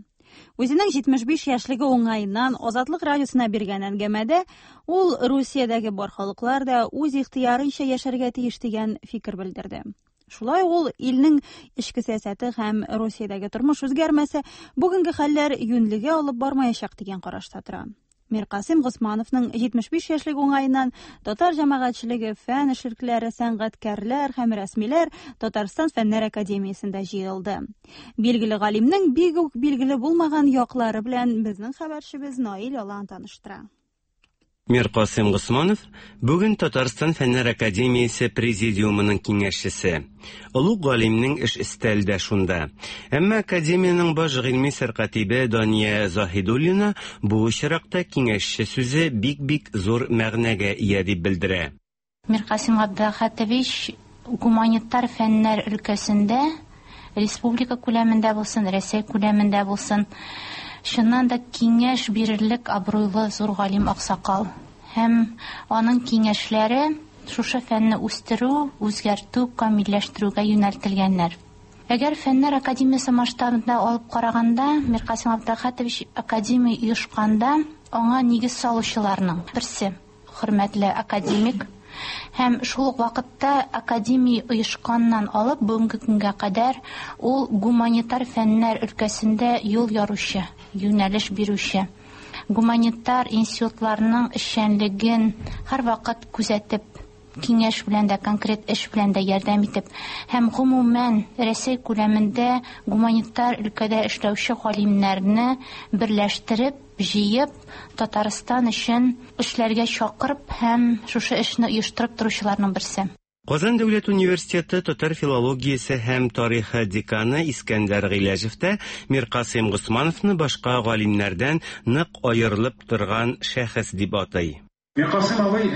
Үзенең 75 яшьлеге уңаеннан Азатлык радиосына биргән әңгәмәдә ул Русиядәге бар халыклар да үз ихтыярынча яшәргә тиеш дигән фикер белдерде. Шулай ук ул илнең эчке сәясәте һәм Русиядәге тормыш үзгәрмәсә, бүгенге хәлләр юньлегә алып бармаячак дигән карашта тора. Миркасыйм Госмановның 75 яшьлек уңаеннан татар җәмәгатьчелеге, фән эшлеклеләре, сәнгатькәрләр һәм рәсмиләр Татарстан Фәннәр академиясендә җыелды. Билгеле галимнең бик үк билгеле булмаган яклары белән безнең хәбәрчебез Наил Алан таныштыра. Миркасыйм Госманов бүген Татарстан Фәннәр академиясе президиумының киңәшчесе. Олуг галимнең эш өстәле дә шунда. Әмма академиянең баш гыйльми сәркатибе Дания Заһидуллина бу очракта киңәшче сүзе бик-бик зур мәгънәгә ия дип белдерә. Миркасыйм Габделхатович гуманитар фәннәр өлкәсендә республика күләмендә булсын, Рәсәй күләмендә булсын, чыннан да киңәш бирерлек абруйлы зур галим аксакал. Һәм аның киңәшләре шушы фәнне үстерү, үзгәртү, камилләштерүгә юнәлтелгәннәр. Әгәр Фәннәр академиясе масштабында алып караганда, Миркасыйм Габделхатович академия оешканда аңа нигез салучыларның берсе, хөрмәтле академик. Һәм шул ук вакытта академия оешканнан алып бүгенге көнгә кадәр ул гуманитар фәннәр өлкәсендә юл яручы, юнәлеш бирүче. Гуманитар институтларның эшчәнлеген һәрвакыт күзәтеп, киңәш белән дә, конкрет эш белән дә ярдәм итеп һәм гомумән Рәсәй күләмендә гуманитар өлкәдә эшләүче галимнәрне берләштереп, җыеп, Татарстан өчен эшләргә чакырып һәм шушы эшне оештырып торучыларның берсе. Казан дәүләт университеты татар филологиясе һәм тарихы деканы Искәндәр Гыйләҗев тә Миркасыйм Госмановны башка галимнәрдән нык аерылып торган шәхес дип атый. Миркасыйм абый,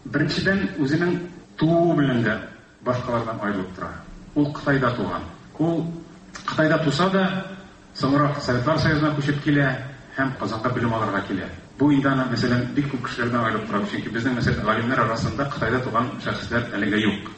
беренчедән, үзенең тууы белән дә башкалардан аерылып тора. Ул Кытайда туган. Ул Кытайда туса да, Соңрак Советлар Союзына күчеп килә һәм Казанга белем алырга килә. Бу инде аны, мәсәлән, бик күп кешеләрдән аерып тора, чөнки безнең, мәсәлән, галимнәр арасында Кытайда туган шәхесләр әлегә юк.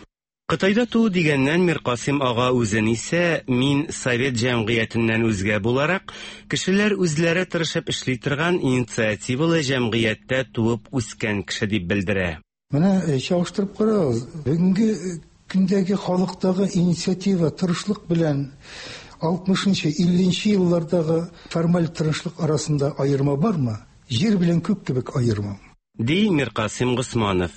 Кытайда туу дигәннән, Миркасыйм ага үзен исә, мин совет җәмгыятеннән үзгә буларак, кешеләр үзләре тырышып эшли торган инициативалы җәмгыятьтә туып үскән кеше дип белдерә. Менә э, чагыштырып карагыз, бүгенге э, көндәге халыктагы инициатива, тырышлык белән 60-нчы, 50-нче еллардагы формаль тырышлык арасында аерма бармы? Җир белән күк кебек аерма. Ди Миркасыйм Госманов.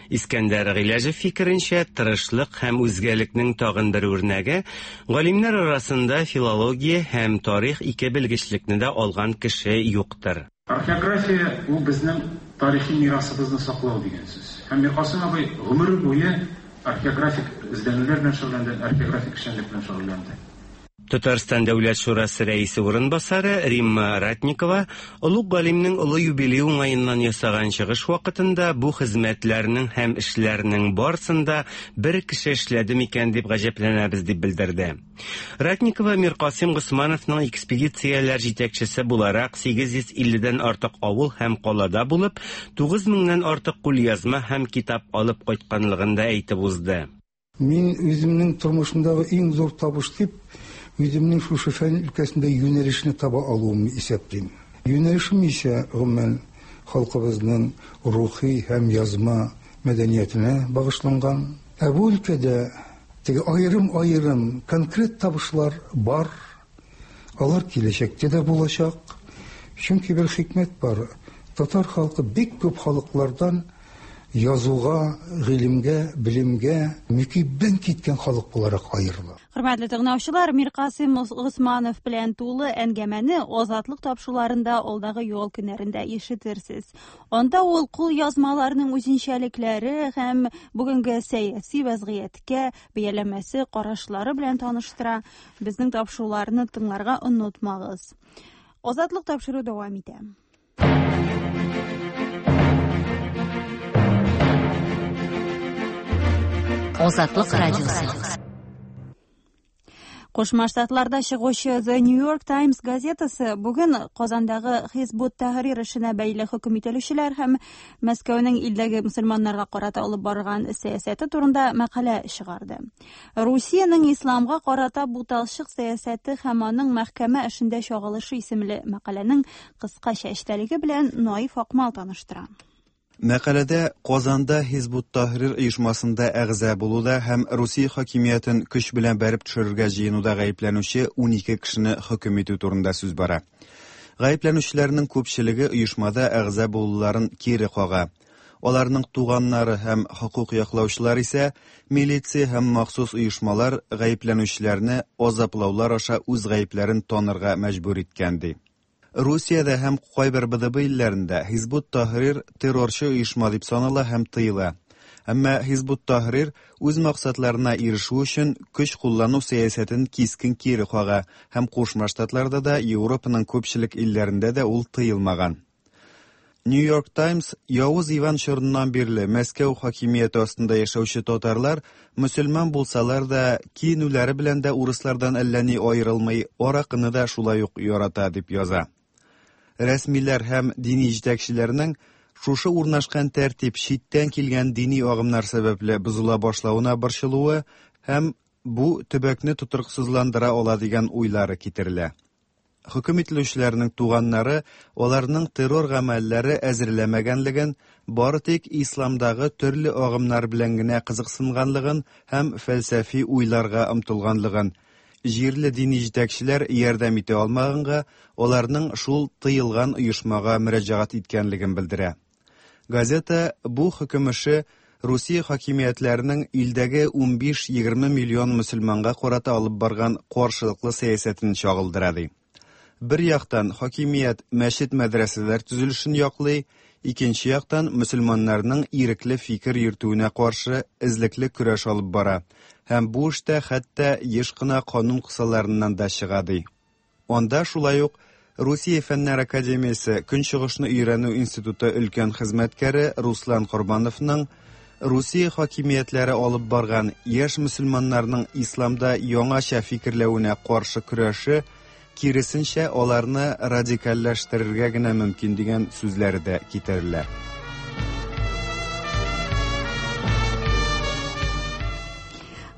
Искәндәр Гыйләҗев фикеренчә, тырышлык һәм үзгәлекнең тагын бер үрнәге, галимнәр арасында филология һәм тарих ике белгечлекне дә алган кеше юктыр. Археография ул безнең тарихи мирасыбызны саклау дигән сүз. Һәм Миркасыйм абый гомере буе археографик эзләнүләр белән шөгыльләнде, археографик эшчәнлек белән шөгыльләнде. Татарстан Дәүләт шурасы рәисе урынбасары Римма Ратникова олуг галимнең олы юбилее уңаеннан ясаган чыгыш вакытында бу хезмәтләрнең һәм эшләрнең барысын да бер кеше эшләде микән дип гаҗәпләнәбез дип белдерде. Ратникова Миркасыйм Госмановның экспедицияләр җитәкчесе буларак 850 дән артык авыл һәм калада булып, 9 меңнән артык кулъязма һәм китап алып кайтканлыгын да әйтеп узды. Мин үземнең тормышымдагы иң зур табыш дип, үземнең шушы фән өлкәсендә юнәлешне таба алуымны исәплим. Юнәлешем исә, гомумән, халкыбызның рухи һәм язма мәдәниятенә багышланган. Ә бу өлкәдә Теге аерым-аерым конкрет табышлар бар, алар киләчәктә дә булачак. Чөнки бер хикмәт бар, татар халкы бик күп халыклардан язуга, гыйлемгә, белемгә мөкиббән киткән халык буларак аерыла. Хөрмәтле тыңлаучылар, Миркасыйм Госманов белән тулы әңгәмәне Азатлык тапшыруларында алдагы ял көннәрендә ишетерсез. Анда ул кулъязмаларның үзенчәлекләре һәм бүгенге сәяси вәзгыятькә бәяләмәсе, карашлары белән таныштыра. Безнең тапшыруларны тыңларга онытмагыз. Азатлык тапшыру дәвам итә. Азатлык радиосы. Кушма Штатларда чыгучы The New York Times газетасы бүген Казандагы Хизбут Тәхрир эшенә бәйле хөкем ителүчеләр һәм Мәскәүнең илдәге мөселманнарга карата алып барган сәясәте турында мәкалә чыгарды. Русиянең исламга карата буталчык сәясәте һәм аның мәхкәмә эшендә чагылышы исемле мәкаләнең кыскача эчтәлеге белән Наиф Акмал таныштыра. Мәкаләдә Казанда Һизб-ут-Таһрир оешмасында әгъза булуда һәм Русия хакимиятен көч белән бәреп төшерергә җыенуда гаепләнүче 12 кешене хөкем итү турында сүз бара. Гаепләнүчеләрнең күпчелеге оешмада әгъза булуларын кире кага. Аларның туганнары һәм хокук яклаучылар исә милиция һәм махсус оешмалар гаепләнүчеләрне азаплаулар аша үз гаепләрен танырга мәҗбүр иткән ди. Русиядә һәм кайбер БДБ илләрендә Һизбут Таһрир террорчы оешма дип санала һәм тыела. Әмма Һизбут Таһрир үз максатларына ирешү өчен көч куллану сәясәтен кискен кире кага һәм Кушма Штатларда да, Европаның күпчелек илләрендә дә ул тыелмаган. New York Times Явыз Иван чорыннан бирле Мәскәү хакимияте астында яшәүче татарлар мөселман булсалар да, киенүләре белән дә урыслардан әллә ни аерылмый, аракыны да шулай ук ярата дип яза. Рәсмиләр һәм дини җитәкчеләрнең шушы урнашкан тәртип читтән килгән дини агымнар сәбәпле бозыла башлавына борчылуы һәм бу төбәкне тотрыксызландыра ала дигән уйлары китерелә. Хөкем ителүчеләрнең туганнары аларның террор гамәлләре әзерләмәгәнлеген, бары тик исламдагы төрле агымнар белән генә кызыксынганлыгын һәм фәлсәфи уйларга омтылганлыгын, җирле дини җитәкчеләр ярдәм итә алмаганга, аларның шул тыелган оешмага мөрәҗәгать иткәнлеген белдерә. Газета бу хөкем эше Русия хакимиятләренең илдәге 15-20 миллион мөселманга карата алып барган каршылыклы сәясәтен чагылдыра ди. Бер яктан, хакимият мәчет-мәдрәсәләр төзелешен яклый, икенче яктан, мөселманнарның ирекле фикер йөртүенә каршы эзлекле көрәш алып бара һәм бу эштә хәтта еш кына канун кысаларыннан да чыга, ди. Анда шулай ук Русия Фәннәр академиясе Көнчыгышны өйрәнү институты өлкән хезмәткәре Руслан Корбановның Русия хакимиятләре алып барган яшь мөселманнарның исламда яңача фикерләвенә каршы көрәше, киресенчә, аларны радикальләштерергә генә мөмкин дигән сүзләре дә китерелә.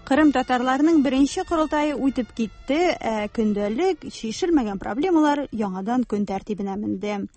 Кырым татарларының беренче корылтае үтеп китте, ә көндәлек чишелмәгән проблемалар яңадан көн тәртибенә менде.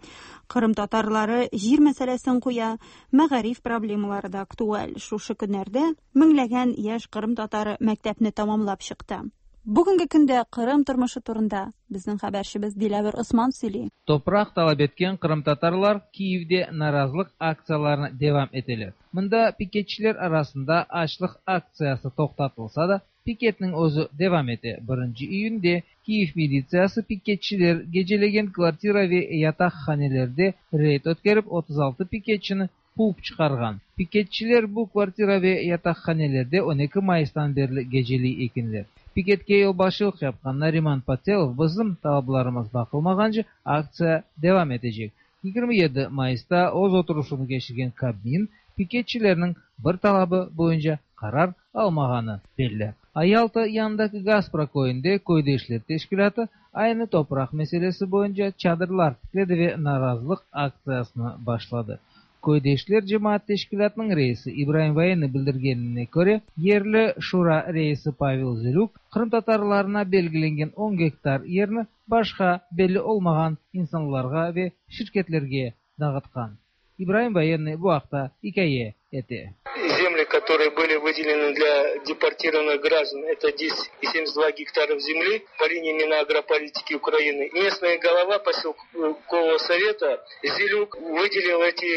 Кырым татарлары җир мәсьәләсен куя, мәгариф проблемалары да актуаль. Шушы көннәрдә меңләгән яшь кырым татары мәктәпне тамамлап чыкты. Бүгенге көндә Кырым тормышы турында безнең хәбәрчебез Диләвер Осман сөйли. Topraq talap etken qırımtatarlar Kiyevde narazılıq aktsiyalarını devam eteler. Mında piketçiler arasında açlıq aktsiyası toqtatılsa da, piketniñ özü devam ete. Birinci iyünde Kiyev militsiyası piketçiler gecelegen kvartira ve yataqhanelerde reyd ötkerip, 36 piketçini quvıp çıqarğan. Piketçiler bu kvartira ve yataqhanelerde 12 mayıstan berli geceley ekenler. Piketke yolbaşçılıq yapqan Nariman Patelov bizim talaplarımız baqılmağance aktsiya devam etecek. 27 mayısta öz oturışuvını keçirgen Kabmin piketçilerniñ bir talabı boyunca qarar almağanı belli. Yalta yanındaki Gaspra köyünde Köydeşler teşkilâtı aynı topraq meselesi boyunca çadırlar tikledi ve narazılıq aktsiyasını başladı. Köydeşler cemaat teşkilâtınıñ reisi İbraim Voyennıy bildirgenine köre, yerli şura reisi Pavel Zilük qırımtatarlarına belgilengen on gektar yerni başqa belli olmağan insanlarğa ve şirketlerge dağıtqan. İbraim Voyennıy bu aqta ikâye ete. Земли, которые были выделены для депортированных граждан, это 10,72 гектаров земли по линии Минагрополитики Украины. Местная голова поселкового совета Зилюк выделил эти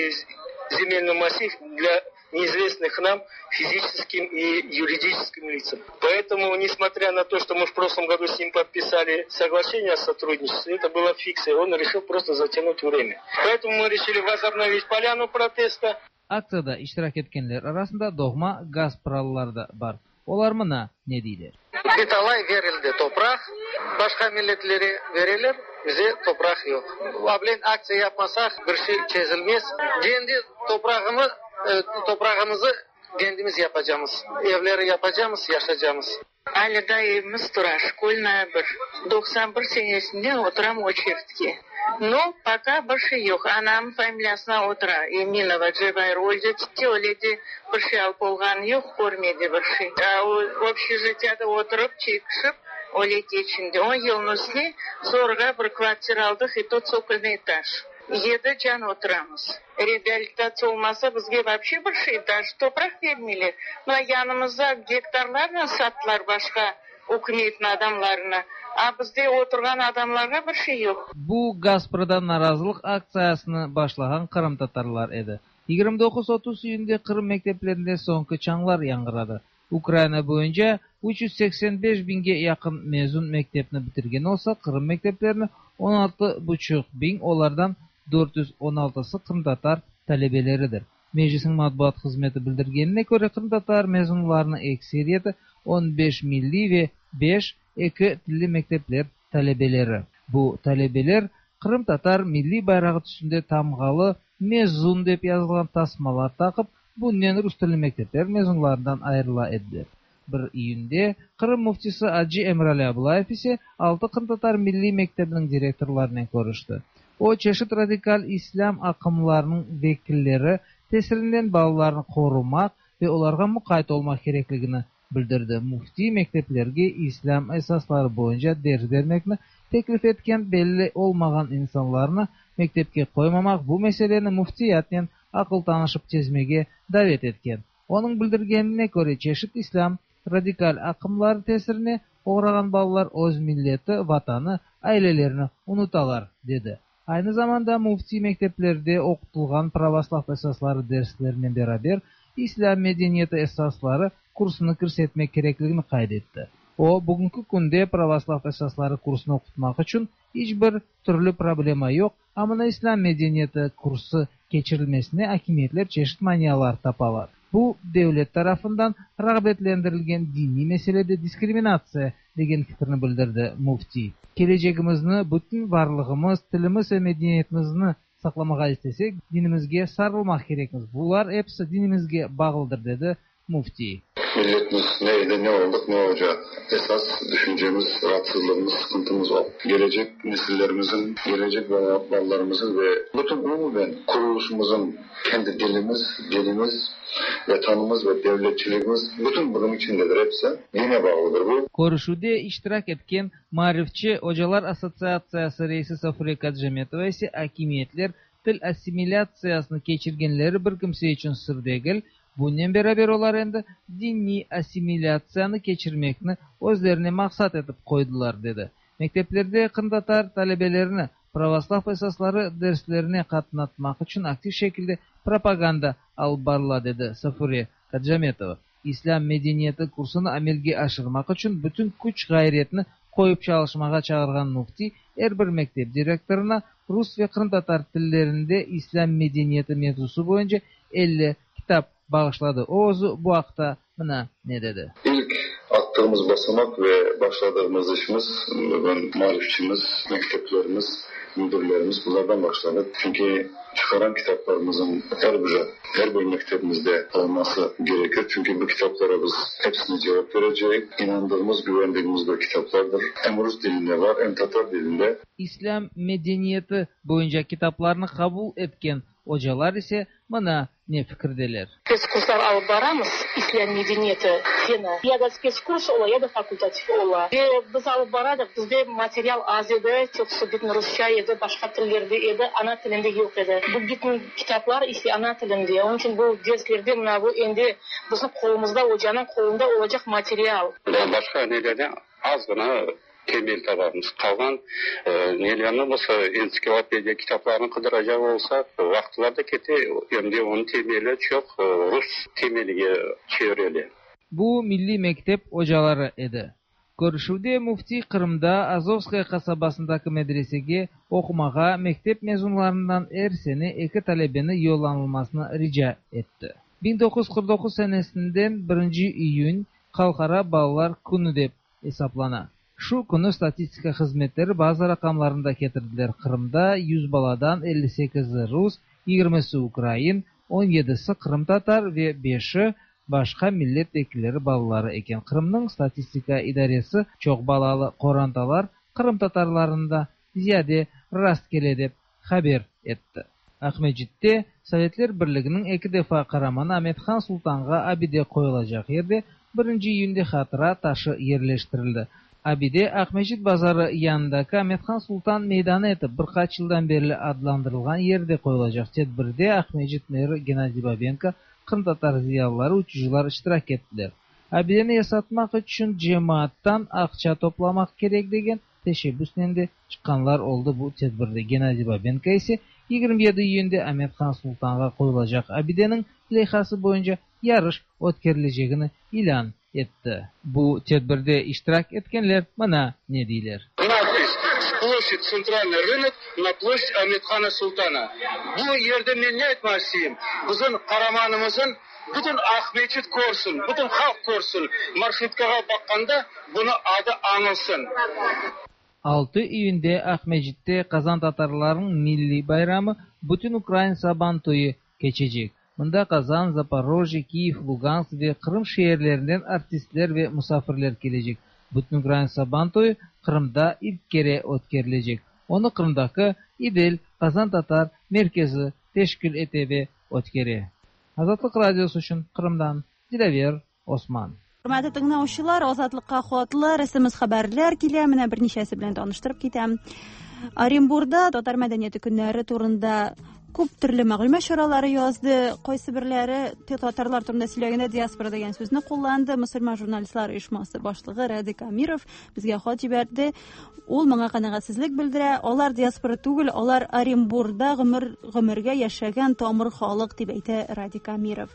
земельный массив для неизвестных нам физическим и юридическим лицам. Поэтому, несмотря на то, что мы в прошлом году с ним подписали соглашение о сотрудничестве, это была фикция, он решил просто затянуть время. Поэтому мы решили возобновить поляну протеста. Aktsiyada iştirak etkenler arasında doğma gaspralılar da bar. Olar mına ne deyler. Bir talay berildi topraq, başqa milletlere bereler, bize topraq yoq. Ablen aktsiya yapmasaq, bir şey çezilmez. Kendi toprağımı, toprağımızı kendimiz yapacamız. Evleri yapacamız, yaşacamız. Alâ daa evimiz tura, Şkolnaya bir. 91 senesinden oturam oçeritke. No, poka bir şey yoq. Anam familiyasına otura, Eminova Cevair öldi, ketti, öyle de bir şey alıp olğanı yoq, körmedi bir şey. Общежитияда oturıp, çekişip, öyle keçindi. On yılnıñ üstüne zorğa bir kvartira aldıq, и то цокольный этаж. Yedi can oturamız. Reabilitatsiya olmasa, bizge вообще bir şey, даже topraq bermeyler. Mına yanımızda gektarlarnen sattılar başqa ükümetniñ adamlarına, a bizde oturğan adamlarğa bir şey yoq. Bu Gasprada narazılıq aktsiyasını başlağan qırımtatarlar edi. 29-30 iyünde Qırım mekteplerinde soñki çañlar yañğıradı. Ukraina boyunca 385 biñge yaqın mezun mektepni bitirgen olsa, Qırım mekteplerini 16 buçuq biñ, olardan 416sı qırımtatar talebeleridir. Meclisniñ matbuat hızmeti bildirgenine köre, qırımtatar mezunlarınıñ ekseriyeti 15 milliy ve 5 eki tilli mektepler talebeleri. Bu talebeler qırımtatar milliy bayrağı tüsünde tamğalı "mezun" dep yazılğan tasmalar taqıp, bunen rus tilli mektepler mezunlarından ayırıla ediler. 1 iyünde Qırım müftisi acı Emirali Ablayev ise altı qırımtatar milliy mektebiniñ direktorlarınen körüşti. O, çeşit radikal islâm aqımlarınıñ vekilleri tesirinden balalarnı qorumaq ve olarğa muqayt olmaq kerekligini bildirdi. Müfti mekteplerge islâm esasları boyunca ders bermekni teklif etken belli olmağan insanlarnı mektepke qoymamaq, bu meseleni müftiyatnen aqıl tanışıp çezmege davet etken. Onıñ bildirgenine köre, çeşit islâm radikal aqımları tesirine oğrağan balalar öz milleti, vatanı, ailelerini unutalar, dedi. Aynı zamanda müfti mekteplerde oqutılğan pravoslav esasları derslerinen beraber islâm medeniyeti esasları kursunı kirsetmek kerekligini qayd etti. O, bugünki künde pravoslav esasları kursını oqutmaq içün iç bir türlü problema yoq, a mına islâm medeniyeti kursı keçirilmesine akimiyetler çeşit manialar tapalar. Bu, devlet tarafından rağbetlendirilgen diniy meselede diskriminatsiya, degen fikirni bildirdi müftiy. Kelecegimizni, bütün varlığımız, tilimiz ve medeniyetimizni saqlamağa istesek, dinimizge sarılmaq kerekmiz. Bular episi dinimizge bağlıdır, dedi müftiy. Milletimiz neydi, ne olduk, ne olacak? Esas düşüncemiz, rahatsızlığımız, sıkıntımız o. Gelecek nesillerimizin, gelecek balalarımızın ve bütün umumen kuruluşumuzun kendi dilimiz, dinimiz, vetanımız ve devletçiliğimiz bütün bunun içindedir hepsi. Dine bağlıdır bu. Körüşüvde iştirak etken Maarifçi ocalar assotsiatsiyası reisi Safure Kacametova ise akimiyetler til assimilâtsiyasını keçirgenleri bir kimse içün sır degil, bunen beraber olar endi diniy assimilâtsiyanı keçirmekni özlerine maqsat etip qoydılar, dedi. Mekteplerde qırımtatar talebelerini pravoslav esasları derslerine qatnatmaq içün aktiv şekilde propaganda alıp barıla, dedi Safure Kacametova. İslâm medeniyeti kursunı amelge aşırmaq içün bütün küç-ğayretni qoyıp çalışmağa çağırğan müfti er bir mektep direktorına rus ve qırımtatar tillerinde İslâm medeniyeti mevzusı boyunca 50 kitap bağışladı. O özü bu aqta mına ne dedi. İlk attığımız basamak ve başladığımız işimiz bugün maarifçimiz, mekteplerimiz, müdürlerimiz bulardan başladı. Çünki çıqaran kitaplarımızın her biri, her bir mektebimizde olması gerekir. Çünki bu kitaplara biz hepsine cevap verecek, inandığımız, güvendiğimiz bir kitaplardır. Hem rus dilinde var, hem tatar dilinde. İslâm medeniyeti boyunca kitaplarnı qabul etken ocalar ise mına ne fikirdeler. Spetskurslar alıp baramız, İslâm medeniyeti feni. Ya da spetskurs ola, ya da fakultativ ola. Ve biz alıp baradıq, bizde material az edi, çoqusı bütün rusça edi, başqa tillerde edi, ana tilinde yoq edi. Bu bütün kitaplar ise ana tilinde. Onıñ içün bu derslerde mına bu endi bizim qolumızda, ocanıñ qolunda olacaq material. Başqa nelerden azğına temel tabamız. Qalğan nelerni bolsa, entsiklopediya kitaplarını qıdıracaq olsaq, vaqıtlar da kete, em de onıñ temeli çoq rus temelige çevirile. Bu milliy mektep ocaları edi. Körüşüvde müftiy Qırımda Azovskaya qasabasındaki medresege oqumağa mektep mezunlarından er sene eki talebeni yollanılmasını rica etti. 1949 senesinden birinci iyün Halqara balalar künü dep esaplana. Şu künü statistika hızmetleri bazı raqamlarnı da ketirdiler, Qırımda yüz baladan elli sekizi rus, yigirmisi ukrain, on yedisi qırımtatar ve beşi başqa millet vekilleri balaları eken. Qırımnıñ statistika idaresi çoq balalı qorantalar qırımtatarlarında ziyade rastkele dep haber etti. Aqmescitte Sovetler Birliginiñ eki defa qaramanı Amet-Han Sultanğa abide qoyulacaq yerde birinci iyünde hatıra taşı yerleştirildi. Abide Aqmescit bazarı yanındaki Amet-Han Sultan meydanı etip bir qaç yıldan berli adlandırılğan yerde qoyulacaq. Tedbirde Aqmescit meri Gennadiy Babenko, qırımtatar ziyalıları, uçucılar iştirak ettiler. Abideni yasatmaq içün cemaattan aqça toplamaq kerek degen teşebbüsnen de çıqqanlar oldı bu tedbirde. Gennadiy Babenko ise 27 iyünde Amet-Han Sultanğa qoyulacaq abideniñ leyhası boyunca yarış ötkerilecegini ilân etti. Bu tedbirde iştirak etkenler mına ne deyler. Nadpis, S ploşçad Tsentralnıy rınok na ploşçad Amet-Hana Sultana. Bu yerde men ne aytmaq isteyim? Bizim qaramanımızın bütün Aqmeçit körsin, bütün halq körsin, marşrutkağa baqqanda bunı adı añılsın. 6 iyünde Aqmescitte qazantatarlarnıñ milliy bayramı, Bütünukrain Saban toyu keçecek. Mında Qazan, Zaporojye, Kiyev, Lugansk ve Qırım şeerlerinden artistler ve musafirler kelecek. Bütünukrain Saban toyu Qırımda ilk kere ötkerilecek. Onı Qırımdaki İdel qazantatar merkezi teşkil ete ve ötkere. Azatlıq Radiosı içün Qırımdan Dilâver Osman. Хөрмәтле тыңлаучылар, Азатлыкка хатлар, SMS хәбәрләр килә. Менә берничәсе белән таныштырып китәм. Оренбурда татар мәдәнияте көннәре турында Күп төрле мәгълүмат чаралары язды. Кайсы берләре татарлар турында сөйләгәндә диаспора дигән сүзне кулланды. Мөселман журналистлар оешмасы башлыгы Радик Амиров безгә хат җибәрде. Ул моңа канәгатьсезлек белдерә. Алар диаспора түгел, алар Оренбурда гомер гомергә яшәгән тамыр халык дип әйтә Радик Амиров.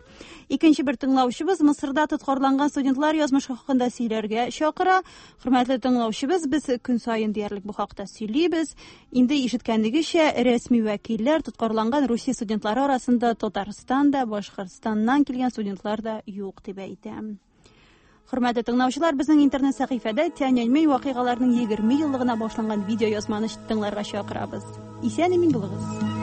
Икенче бер тыңлаучыбыз Мысырда тоткарланган студентлар язмышы хакында сөйләргә чакыра. Хөрмәтле тыңлаучыбыз, без көн саен диярлек бу хакта сөйлибез. Инде ишеткәнегезчә, рәсми вәкилләр тоткарланган Русия студентлары арасында Татарстан да, Башкортстаннан килгән студентлар да юк дип әйтә. Хөрмәтле тыңлаучылар, безнең интернет сәхифәдә Тяньаньмэнь вакыйгаларының 20 еллыгына багышланган видеоязманы тыңларга чакырабыз. Исән-имин булыгыз.